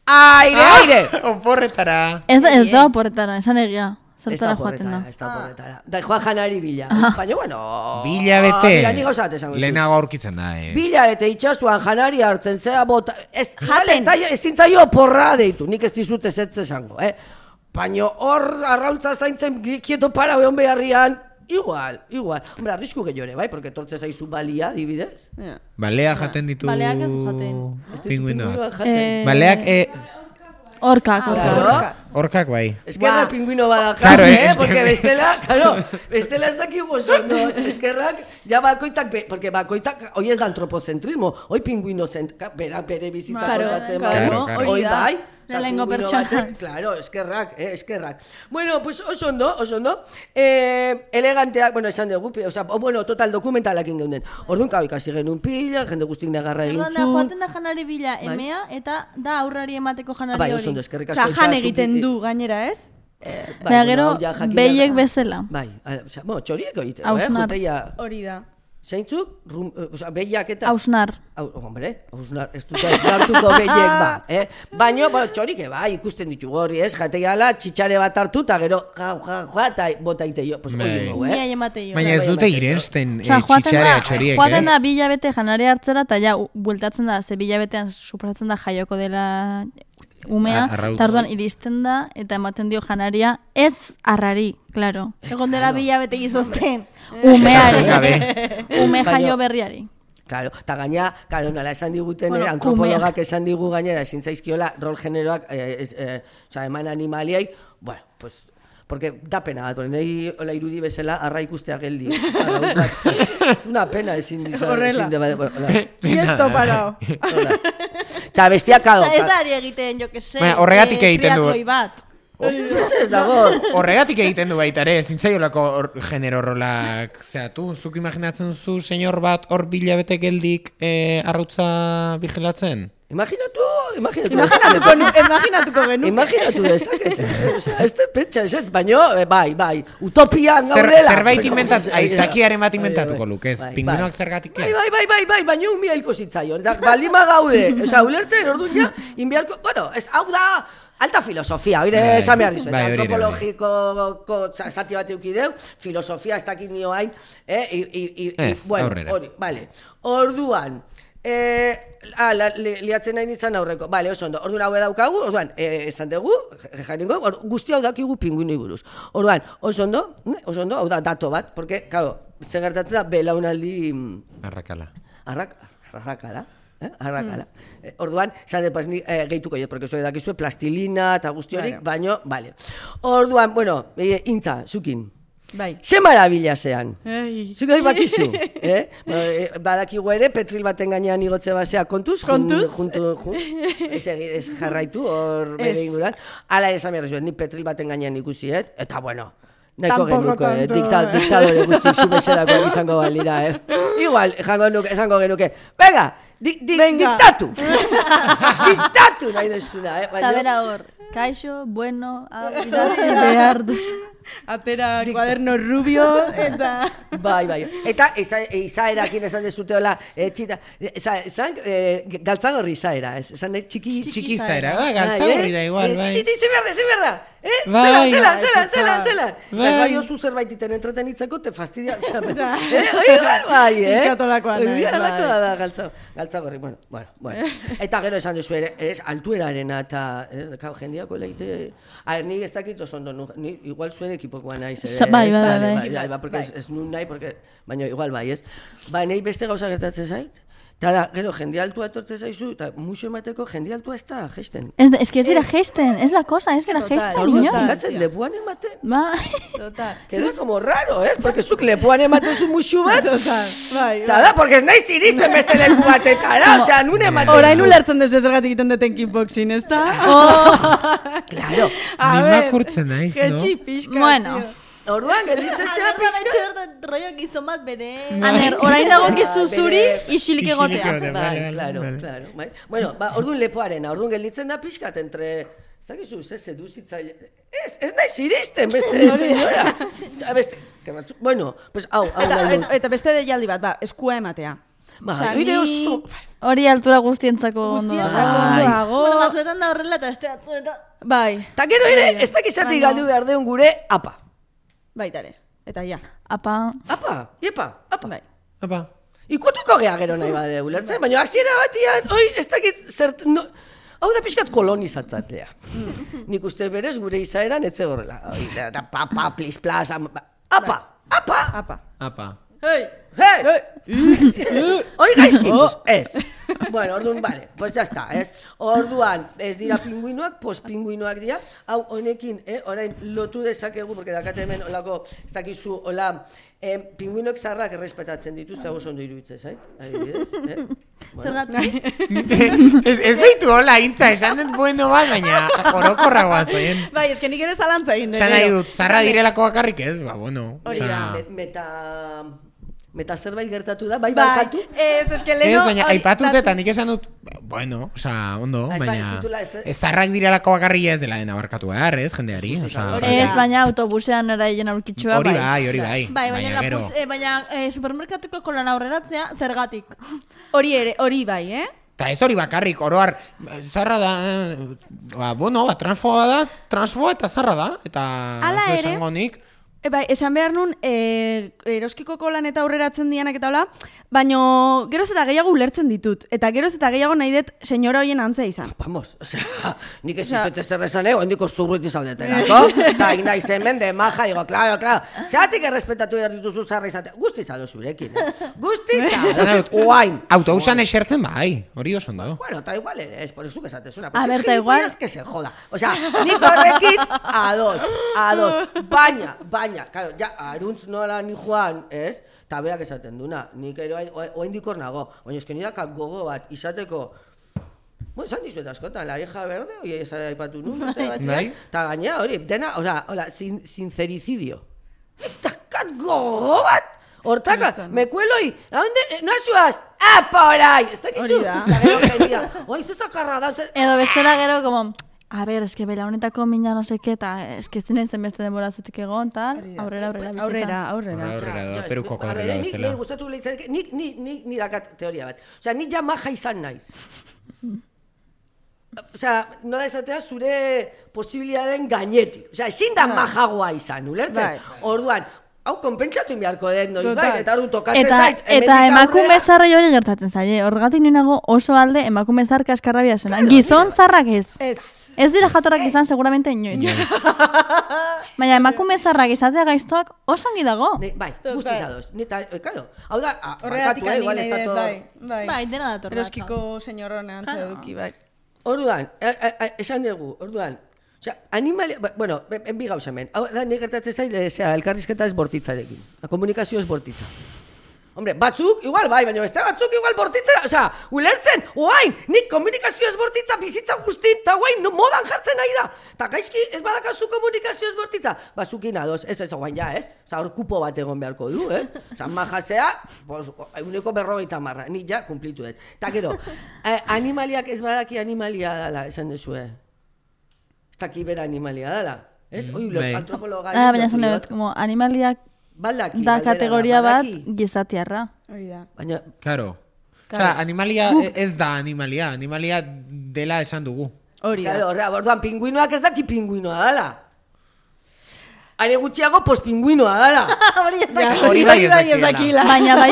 aire! Oporretara. Ez da oporretara, esan egia. Zertara joaten da. Ez da porretara. Da, joa janari bila. Baina, bueno... Bila bete. Mira, ni gauza bat esango dizut. Lehenago aurkitzen da, Bila bete itxasuan janari hartzen zea bota... Ezin zaio porra deitu, nik ez dizut ez esango, Baina hor arraultza zaintzen kieto para behon beharrian, igual. Hombre, arrisku gehiore, bai? Porque tortze zaizu balia, dibidez. Balea jaten ditu... Baleak ez du jaten. Pinguinoak. Jaten. Baleak... Horkak. Horkak bai. Eskerra pinguino bada Claro, porque bestela ez dakigu oso, no? Eskerrak, ja bakoitzak, porque bakoitzak, hoi ez da antropocentrismo, hoi pinguino bere bizitza kontatzen claro, bai, hori hoi da. bai, Lehenengo pingüino pertsona. batek, claro, eskerrak. Bueno, pues oso ondo, eleganteak, bueno, esan dugu, total dokumentalakin geunden. Orduan, kau ikasi genuen pila, jende guztik negarra egin Orduan da, joaten da janari bila emea, eta da aurrari emateko janari Bai, hori. oso ondo, eskerrik asko. Jan egiten du gainera, ez? Baina gero, behiek bezala. Bai, txorieko egiteko, Hausnar. juteia... Hori da. Zeintzuk, behiak eta... Hausnar. Hombre, ez dut hausnartuko behiek Baina, txorike ikusten ditugu hori, ez? Jateiala, txitxare bat hartu, eta gero, eta bota ite jo. Pues hori dugu, Mia emate jo. Baina ez dute irensten Joaten txitxarea txoriek, joaten da bilabete janari hartzera, eta ja, bueltatzen da, ze bilabetean suposatzen da jaioko dela umea, Arrautz. eta orduan iristen da, eta ematen dio janaria, ez arrari, claro. Egon dela bilabete gizozten. Umeari, Gabe. ume jaio berriari. Claro, eta gaina, nola esan diguten, Bueno, antropologak esan digu gainera, ezin zaizkiola, rol generoak, eman animaliai, bueno, pues, porque da pena bat, nahi hola irudi bezala, arra ikustea geldi. Ez una pena ezin Horrela. de... Quieto parao. Eta bestiak kado. Ez da ari egiten, jo que se, Baina, horregatik egiten du. triatloi bat. Ez dago. Horregatik egiten du baita ere, zintzaiolako genero rolak zeatu. Zuk imaginatzen zu, senyor bat, hor bilabete geldik arrautza vigilatzen? Imaginatuko genuke. Imaginatu dezakete. Ez te pentsa, ez, baino, bai, utopian gaudela. Zerbait inventatu, aitzakiaren bat inventatuko lukez. Pinguinoak zergatik ez? Bai, baino unbiailko zitzaion. Baldima gaude, ulertzen, orduan ja, inbialko, bueno, hau da, alta filosofia, oire esan behar dizu, antropologiko zati bat eukideu, filosofia ez dakit nio hain, aurrera. Vale, orduan, liatzen nahi nintzen aurreko, bale, oso ondo, orduan hau daukagu, orduan, esan dugu, jaringo, guzti hau dakigu pinguinoi buruz. Orduan, oso ondo, hau da dato bat, porque, claro, zer gertatzen da, belaunaldi... Arrakala. Arrakala. Orduan, esan dut, gehituko jo, porque zure dakizue plastilina eta guzti horik, baino, bale. Orduan, bueno, intza, zukin. Bai. Ze marabila zean. Zuk nahi bakizu. Badakigu ere, petril baten gainean igotze basea kontuz. Ez jarraitu hor bere inguran. Hala ere esan behar zuen, ni petril baten gainean ikusiet. Eta bueno, nahiko genuko, diktadore guztik zubezerako izango balira, Igual, esango genuke. Venga, diktatu. Diktatu nahi duzuna, Eta bera hor, kaixo, bueno, idatzi behar duzu. Atera kuaderno rubio, eta... Bai. Eta izaerakin esan dezuteola, txita, galtzagorri izaera, esan txiki izaera, galtzagorri da igual, bai. Ze berda, Zela. Ez bai oso zerbait iten entretenitzeko, te fastidia. Bai, Iskatolakoa da, galtzagorri, bueno. Eta gero esan duzu ere, altuerarena eta, jendiako leite, ni ez dakit oso ondo, igual zuen ekipokoa naiz. Bai, porque ez nun nahi, baina igual bai, ez. Ba, nahi beste gauza gertatzen zait, eta gero jende altua etortzen zaizu, eta musu emateko jende altua ez da gesten. Ez que ez dira gesten, es la cosa, ez dira gesten, niño. Gatzen lepuan ematen. Bai. Queda como raro, ez? Porque zuk lepuan ematen zu musu bat. Bai. Eta da, porque ez nahi ziristen beste leku batetara, osea, nun ematen zu. Orain ulertzen dezu zergatik egiten duten kickboxing, ez da? Claro. Nimakurtzen naiz, no? Jetxi pixka, Bueno. Orduan, gelditzen zea pixka. Rollo gizon bat bere... Aner, orain dago gizu zuri, isilik egotea. Bai, claro. Bueno, orduan lepoarena, orduan gelditzen da pixkat entre... Ez dakizu, ez seduzitzaile... Ez nahi ziristen, beste senyora. Bueno, pues hau nahi dut. Eta beste deialdi bat, eskua ematea. Oire oso... Hori altura guztientzako ondo dago. Bueno, batzuetan da horrela eta beste batzuetan... Bai. Ta gero ere, ez dakizatik galdu behar deun gure apa. Baitare, eta ja. Apa. Apa. Bai. Apa. Ikutuko gea gero nahi bade ulertzen, baina hasiera batian, ez dakit zert... Hau da pixkat kolonizatzatlea. Nik uste berez gure izaeran etze horrela. Eta papa, plis, plas, apa. Hei! Hoi gaizkituz, ez. Bueno, orduan, vale, pues ya está, ez. Orduan, ez dira pinguinoak, pinguinoak dira. Hau, honekin, orain lotu dezakegu, porque dakate hemen olako, ez dakizu, hola, pinguinoek zarrak errespetatzen dituzte, hau ondo iruditzez, adibidez, Ez deitu hola, intza, esan dut bueno bat, baina orokorra guazen. Bai, eske nik ere zalantza egin dut. Esan nahi dut, zarra direlako bakarrik ez, bueno. Meta zerbait gertatu da, bai barkatu? Ez, eske leno... Ez, baina aipatut eta nik esan dut, bueno, oza, ondo, baina... Ez zarrak direlako bakarrik ez dela dena barkatu behar, ez, jendeari, oza... Ez, baina autobusean eraien aurkitxua, bai. Hori bai. Baina supermerkatuko kolan aurreratzea zergatik. Hori bai, Eta ez hori bakarrik, oroar, zarra da, transfoa eta zarra da, eta esango nik... Bai, esan behar nun, eroskiko kolan eta aurreratzen dianak eta hola, baino geroz eta gehiago ulertzen ditut. Eta geroz eta gehiago nahi dut senyora hoien antzea izan. Vamos, osea, nik ez dizut ez errezan handiko zurruti zaudeterako. Eta inaiz hemen de maja, digo, claro. Zeatik errespetatu behar dituzu zarra izatea. Guztizado zurekin, Guztizado. Oain. Autobusan esertzen bai, hori oso ondo. Bueno, eta igual ere, ez, por eso que esatezuna. A ver, ta igual. Que se joda. Osea, nik horrekin, ados. Baina, claro, ja, aruntz nola ni joan, ez? Ta berak esaten duna, nik ere oaindikor nago. Baina eske nirakak gogo bat izateko... Bueno, esan dizuet askotan, la hija verde, oi ez aipatu nun, eta gainea hori, dena, hola, sincericidio. Eta kat gogo bat! Hortaka, me cuelo y, ¿a dónde? ¿No ayudas? ¡Ah, por ahí! Ez dakizu? Eta gero jendia, oi, zezakarra da, Edo bestela gero, como, a ver, eske belaunetako mina no seke, eta eske zinen zen beste denbora zutik egon, tal, aurrera bizitza. Aurrera, Peruko kodrela bezala. Nik gustatu lehitzak, nik dakat teoria bat. Osea, nik ja maja izan naiz. Osea, nola esatea zure posibilitateen gainetik. Osea, ezin da majagoa izan, ulertzen? Orduan, hau konpentsatu beharko den noiz bai, eta ordu tokatzen zait. Eta emakume zarrei hori gertatzen zaie. Horregatik ninago oso alde emakume zar kaskarrabia zena. Gizon zarrak ez. Ez dira jatorrak izan seguramente inoiz. Baina emakume zarrak izatea gaiztoak oso ongi dago. Bai, guztiz ados. Claro, hau da, horregatik igual ez da todo. Bai, dena dator. Eroskiko señoronean eduki, bai. Orduan, esan dugu, orduan, osea, animalia, bueno, bi gauza hemen. Hau da, nik gertatzen zait, elkarrizketa ez bortitzarekin. Komunikazio ez bortitza. Hombre, batzuk, igual bai, baina beste batzuk igual bortitzera, osea, ulertzen, oain, nik komunikazio ez bortitza bizitza guztin, eta oain, modan jartzen nahi da. Ta gaizki, ez badakazu komunikazio ez bortitza, bazukin ados, ez oain ja, ez? Osa, hor kupo bat egon beharko du, ez? Osa, majasea, uneko 50, nik ja, kumplitu dut. Ta gero, animaliak ez badaki animalia dala, esan dezue. Ez daki bera animalia dala, ez? Antropologa. Baina esan dut, como animaliak da kategoria bat gizatiarra. Hori da. Baina, Claro. Osea, animalia ez da animalia dela esan dugu. Hori da. Claro, orduan, pinguinoak ez daki pinguinoa dala. Are gutxiago, pingüinoa dala. Hori bai ez dakila. Baina bai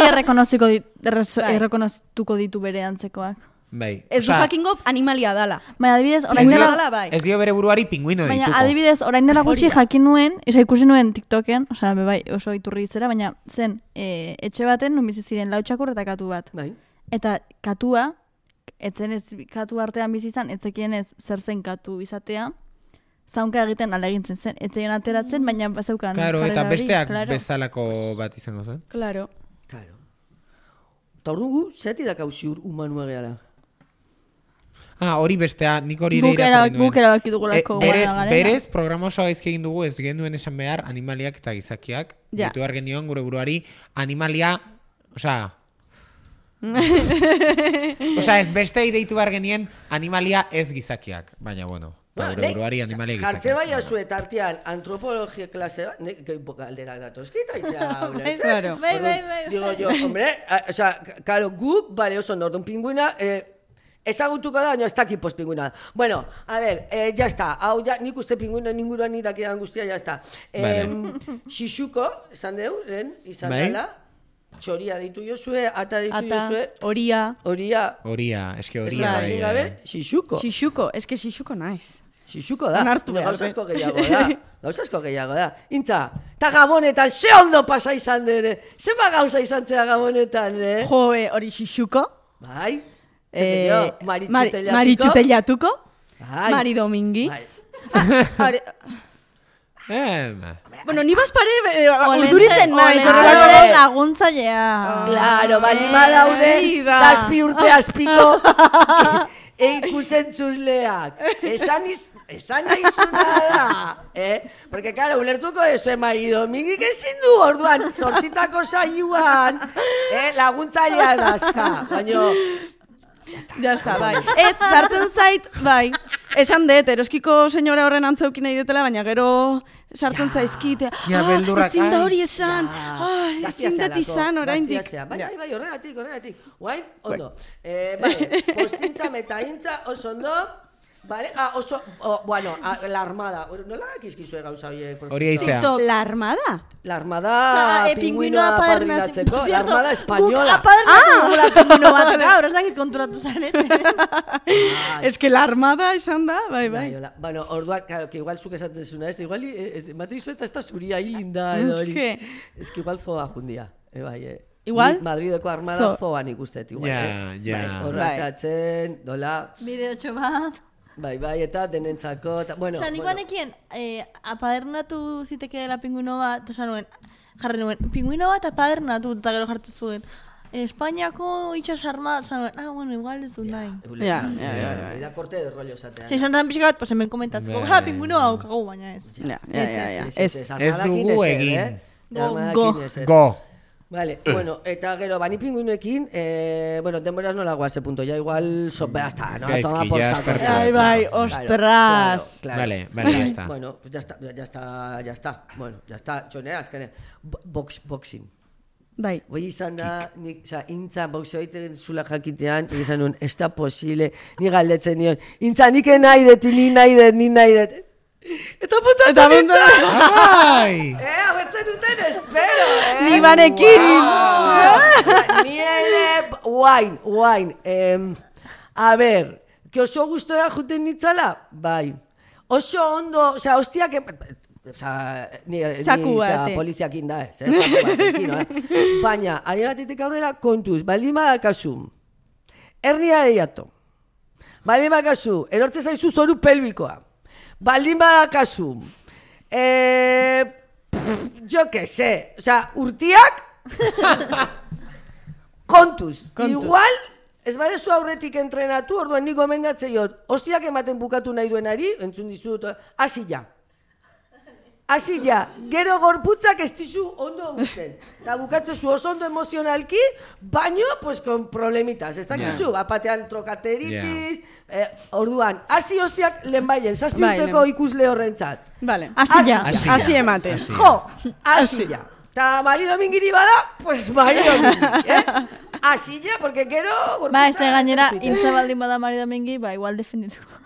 errekonoztuko ditu bere antzekoak. Bai. Ez du jakingo animalia dala. Baina adibidez, orain dela bai. Ez dio bere buruari pinguino dituko. Baina adibidez, orain dela gutxi jakin nuen, ikusi nuen TikToken, osea, bai, oso iturri itzera, baina zen, etxe baten, nun bizi ziren 4 txakur eta katu bat. Bai. Eta katua, etzen ez katu artean bizi izan, etzekien ez zer zen katu izatea, zaunka egiten alegintzen zen, etzeien ateratzen, baina bazeukan. Claro, eta besteak bezalako bat izango zen. Claro. Eta ordugu, zeti da kauziur humanua gehala. Hori bestea, nik hori ere irakurri nuen. Guk erabaki dugulako garena. Berez, programa osoa gaizki egin dugu, ez genduen esan behar animaliak eta gizakiak. Ja. Ditu behar genioan gure buruari animalia, osea... osea, ez bestei deitu behar genien animalia ez gizakiak. Baina, bueno, gure buruari animalia gizakiak. Jartze bai azuet artean antropologia klase bat, nek galderak datozkita izea, Claro. Bai. Digo yo, hombre, osea, claro, guk, bale, oso nordun pinguina, ezagutuko da, baina ez daki postpinguina da. Bueno, a ver, ya está. Hau, ja, nik uste pinguina ninguruan ni dakidan guztia, ya está. Xixuko, esan deu, izan dela. Txoria ditu jozue, ata ditu jozue. Horia, eske horia bai. Gabe, xixuko. Eske xixuko naiz. Xixuko da. Onartu behar. Gauza asko gehiago da. Intza, eta Gabonetan, ze ondo pasa izan dere. Zema gauza izan zea Gabonetan, Joe, hori xixuko. Bai. Maritxutellatuko. Mari Domingi. Bueno, ni bazpare urduritzen naiz. Horren laguntzailea. Claro, bali badaude, 7 urte azpiko ikusentzuzleak. Esan naizuna da. Porque, claro, ulertuko dezu, Mari Domingi ezin du orduan, 8 saioan, laguntzailea dazka. Baina... Ya está, bai. Ez, sartzen zait, bai. Esan dut, eroskiko senyora horren antzeuki nahi detela, baina gero sartzen zaizkite. Ezin da hori esan. Ezin dut izan oraindik. Bai, horregatik. Guain, ondo. Bai, postintza, metaintza, oso ondo. Vale, oso, bueno, la armada. Nola dakizkizue gauza horiek? Hori aizea. La armada? La armada pingüinoa apadrinatzeko. La armada española. Guk apadrinatu dugula pingüino bat, gaur, ez dakit konturatu zarete. Es que la armada esan da, bai. Bueno, orduan, claro, que igual zuk esaten zuna, igual, matrizu eta ez da zuria hilinda edo hori. Es que igual zoa jundia, bai, Igual? Madrideko armada zoan ikustet, igual. Ja. Horrakatzen, dola. Bideotxo bat. Bai, eta denentzako, eta, bueno. Osa, nik banekien, apadernatu zitekeela pingüino bat, eta jarri nuen, pingüino bat apadernatu, eta gero jartzen zuen. Espainiako itxas armada, zanuen, bueno, igual ez dut nahi. Ja. Da korte de rollo zatean. Si esan pixka bat, pues hemen komentatzeko, pingüino hau kagu, baina ez. Ja. Ez dugu egin. Go. Vale, bueno, eta gero, bani pinguinoekin, bueno, denboraz nola guaz, punto, ya igual, ya está, ¿no? Gaizki, Toma por ya saco. esperto. Ai, bai, ostras. Claro. Vale, ya está. Bueno, pues ya está. Bueno, ya está, txonea, azkene. Boxing. Bai. Hoi izan da, intza boxeo egiten zula jakitean, izan nuen, ez da posible, ni galdetzen nion, intza, nik nahi dut. Eta puntatu nintzen! Ai! Hau etzen duten, espero, Ni banekin! Ni ere, guain. A ber, que oso gustora juten nitzala? Bai. Oso ondo, osea, hostiak... Zaku bate. Poliziakin da, zaku batekin, baina, adigatetik aurrera kontuz, baldin badakazu, hernia deiatu, baldin badakazu, erortze zaizu zoru pelbikoa, baldin badakazu, jo que se, osea, urtiak, kontuz, igual, ez badezu aurretik entrenatu, orduan nik gomendatzen jot, hostiak ematen bukatu nahi duenari, entzun dizut, hasi ja, gero gorputzak ez dizu ondo guzten. Eta bukatzezu oso ondo emozionalki, baino, pues, con problemitas. Ez dakizu, bapatean trokateritis, orduan, hasi hostiak lehenbailen, 7 urteko ikusle horrentzat. Vale, hasi ematen. Jo, hasi ja. Eta Mari Domingiri bada, pues Mari Domingiri, hasi ja, porque gero... Ba, ez gainera, intza baldin bada Mari Domingi, ba, igual defendituko.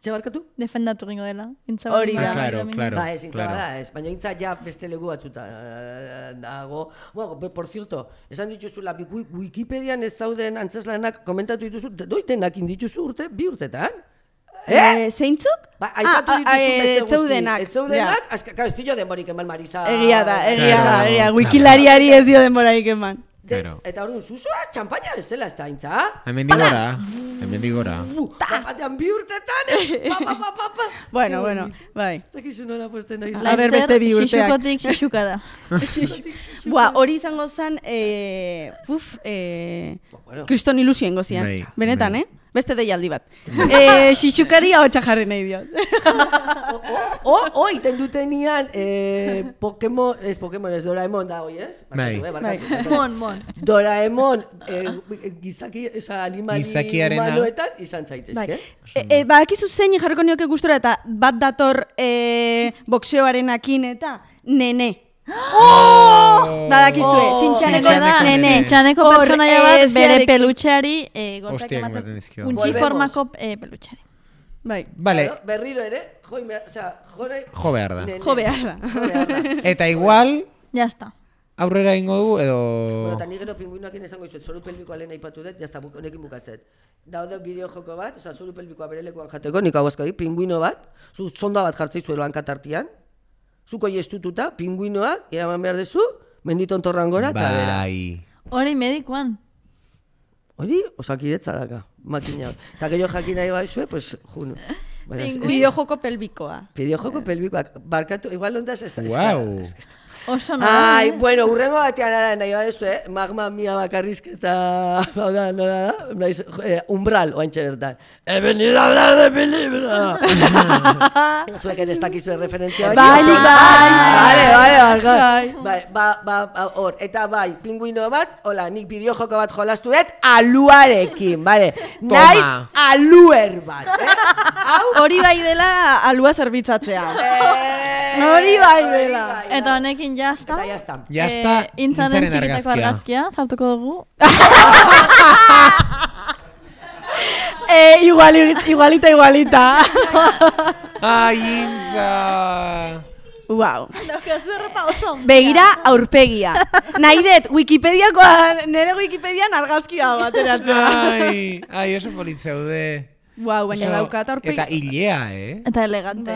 Zer barkatu? Defendatu gingo dela. Hori da. Claro. Ba, ez, intza bada, ez. Baina intza ja beste legu batzuta dago. Bueno, por cierto, esan dituzula, Wikipedian ez zauden antzeslanak komentatu dituzu, doitenak indituzu bi urtetan? Zeintzuk? Ba, aipatu dituzu beste guzti. Etzeudenak. Etzeudenak, claro, ez dio denborik eman Marisa. Egia da. Wikilariari ez dio denborarik eman. Eta orduan, zuzoaz, txampaina ez zela ez da, intza? Hemen digora. Batean bi urtetan, pa. Bueno, bai. Zakizu nola posten da izan. A ber, beste bi urteak. Xixukotik xixukara. Bua, hori izango zen, kriston ilusioen gozian. Benetan, Beste deialdi bat. Xixukari hau txajarren nahi diot. Iten dutenian, Pokemon, ez Doraemon da hoi, ez? Mon. Doraemon, gizaki, animali humanoetan izan zaitezke. Badakizu zein jarriko nioke gustora eta bat dator boxeoarenakin eta nene. Badakizue, Sintxaneko personaia bat bere pelutxeari golpeak ematen dizkio. Untxi formako pelutxari. Bai. Vale. Berriro ere, jo behar da. Jo behar da. Eta igual, ya está. Aurrera ingo du edo... Bueno, eta nigero pinguinoakin esango izuet, zoru pelbikoa lehen aipatu dut, jazta honekin bukatzet. Daude bideo joko bat, zoru pelbikoa bere lekuan jateko, nik hau azkadi, pinguino bat, zonda bat jartzei zuelo hankatartian, zuko iestututa, pinguinoak, eraman behar dezu, menditon torran gora, eta bera. Hori medikoan. Hori, osakidetza daka, makina. Eta gehiago jakin nahi baizue, pues, juno. Bideojoko pelbikoa. Bideojoko pelbikoak, barkatu, igual ondaz ez da. Wow. Oso Ai, bueno, urrengo batean ara nahi badezu, magma mia bakarrizketa, nola da, umbral, oantxe bertan. He venido a hablar de mi libro. Zueken ez dakizue referentzia hori. Bai, hor, eta bai, pinguino bat, hola, nik bideojoko bat jolastu dut, aluarekin, bale. Naiz aluer bat, Hori bai dela alua zerbitzatzea. Hori bai dela. Eta honekin jazta. Eta jazta. Jazta, intzaren txikitako argazkia, sartuko dugu. Igualita. Ai, intza. Wow. Begira aurpegia. Nahi dut, nire Wikipedian argazkia bat eratzen. Ai, oso politzeude. Wow, baina daukat aurpegia. Eta hilea, Eta elegante,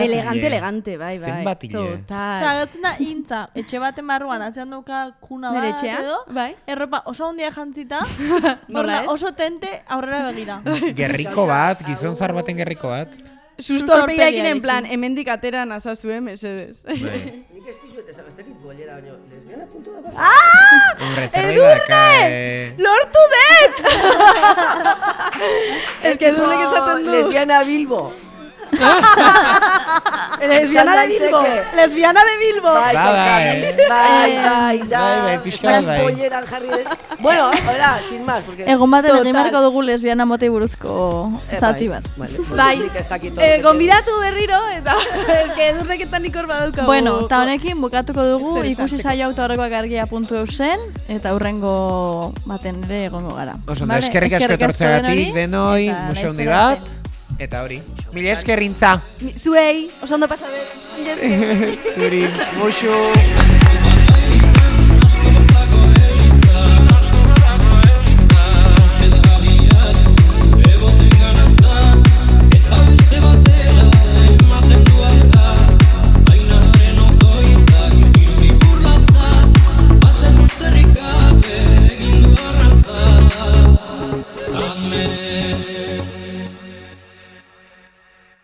Elegante, bai. Zenbat hile. Zagatzen da, intza, etxe baten barruan, atzean dauka kuna bat edo, erropa oso ondia jantzita, oso tente aurrera begira. Gerriko bat, gizon zar baten gerriko bat. Susto aurpegiakin en plan, hemendik atera nazazue, mesedez. Nik ez dizuet esan, ez dakit bolera, baina lesbiana puntu da. Edurne! Lortu dut! Ez que Edurnek esaten du. Lesbiana Bilbo. Lesbiana de Bilbo. daiteke. Lesbiana de Bilbo. Bai, Bai, bai, pixka bat, bai. polleran jarri den. Bueno, hola, sin más, porque... Egon baten Total. egin beharko dugu lesbiana motei buruzko zati bat. Bai, nik ez dakit hor- gonbidatu berriro, eta eske edurreketan ikor badaukagu. Bueno, eta honekin bukatuko dugu Zer ikusi esateko. saio autoarrekoak argia.eu zen, eta hurrengo baten ere egongo gara. Oso ondo, Vale? eskerrik asko etortzeagatik, denoi, eta muso handi laster bat, eta hori. Mila eskerrintza. Zuei, oso ondo pasadet. Mila esker. Zuri, musu. Amen.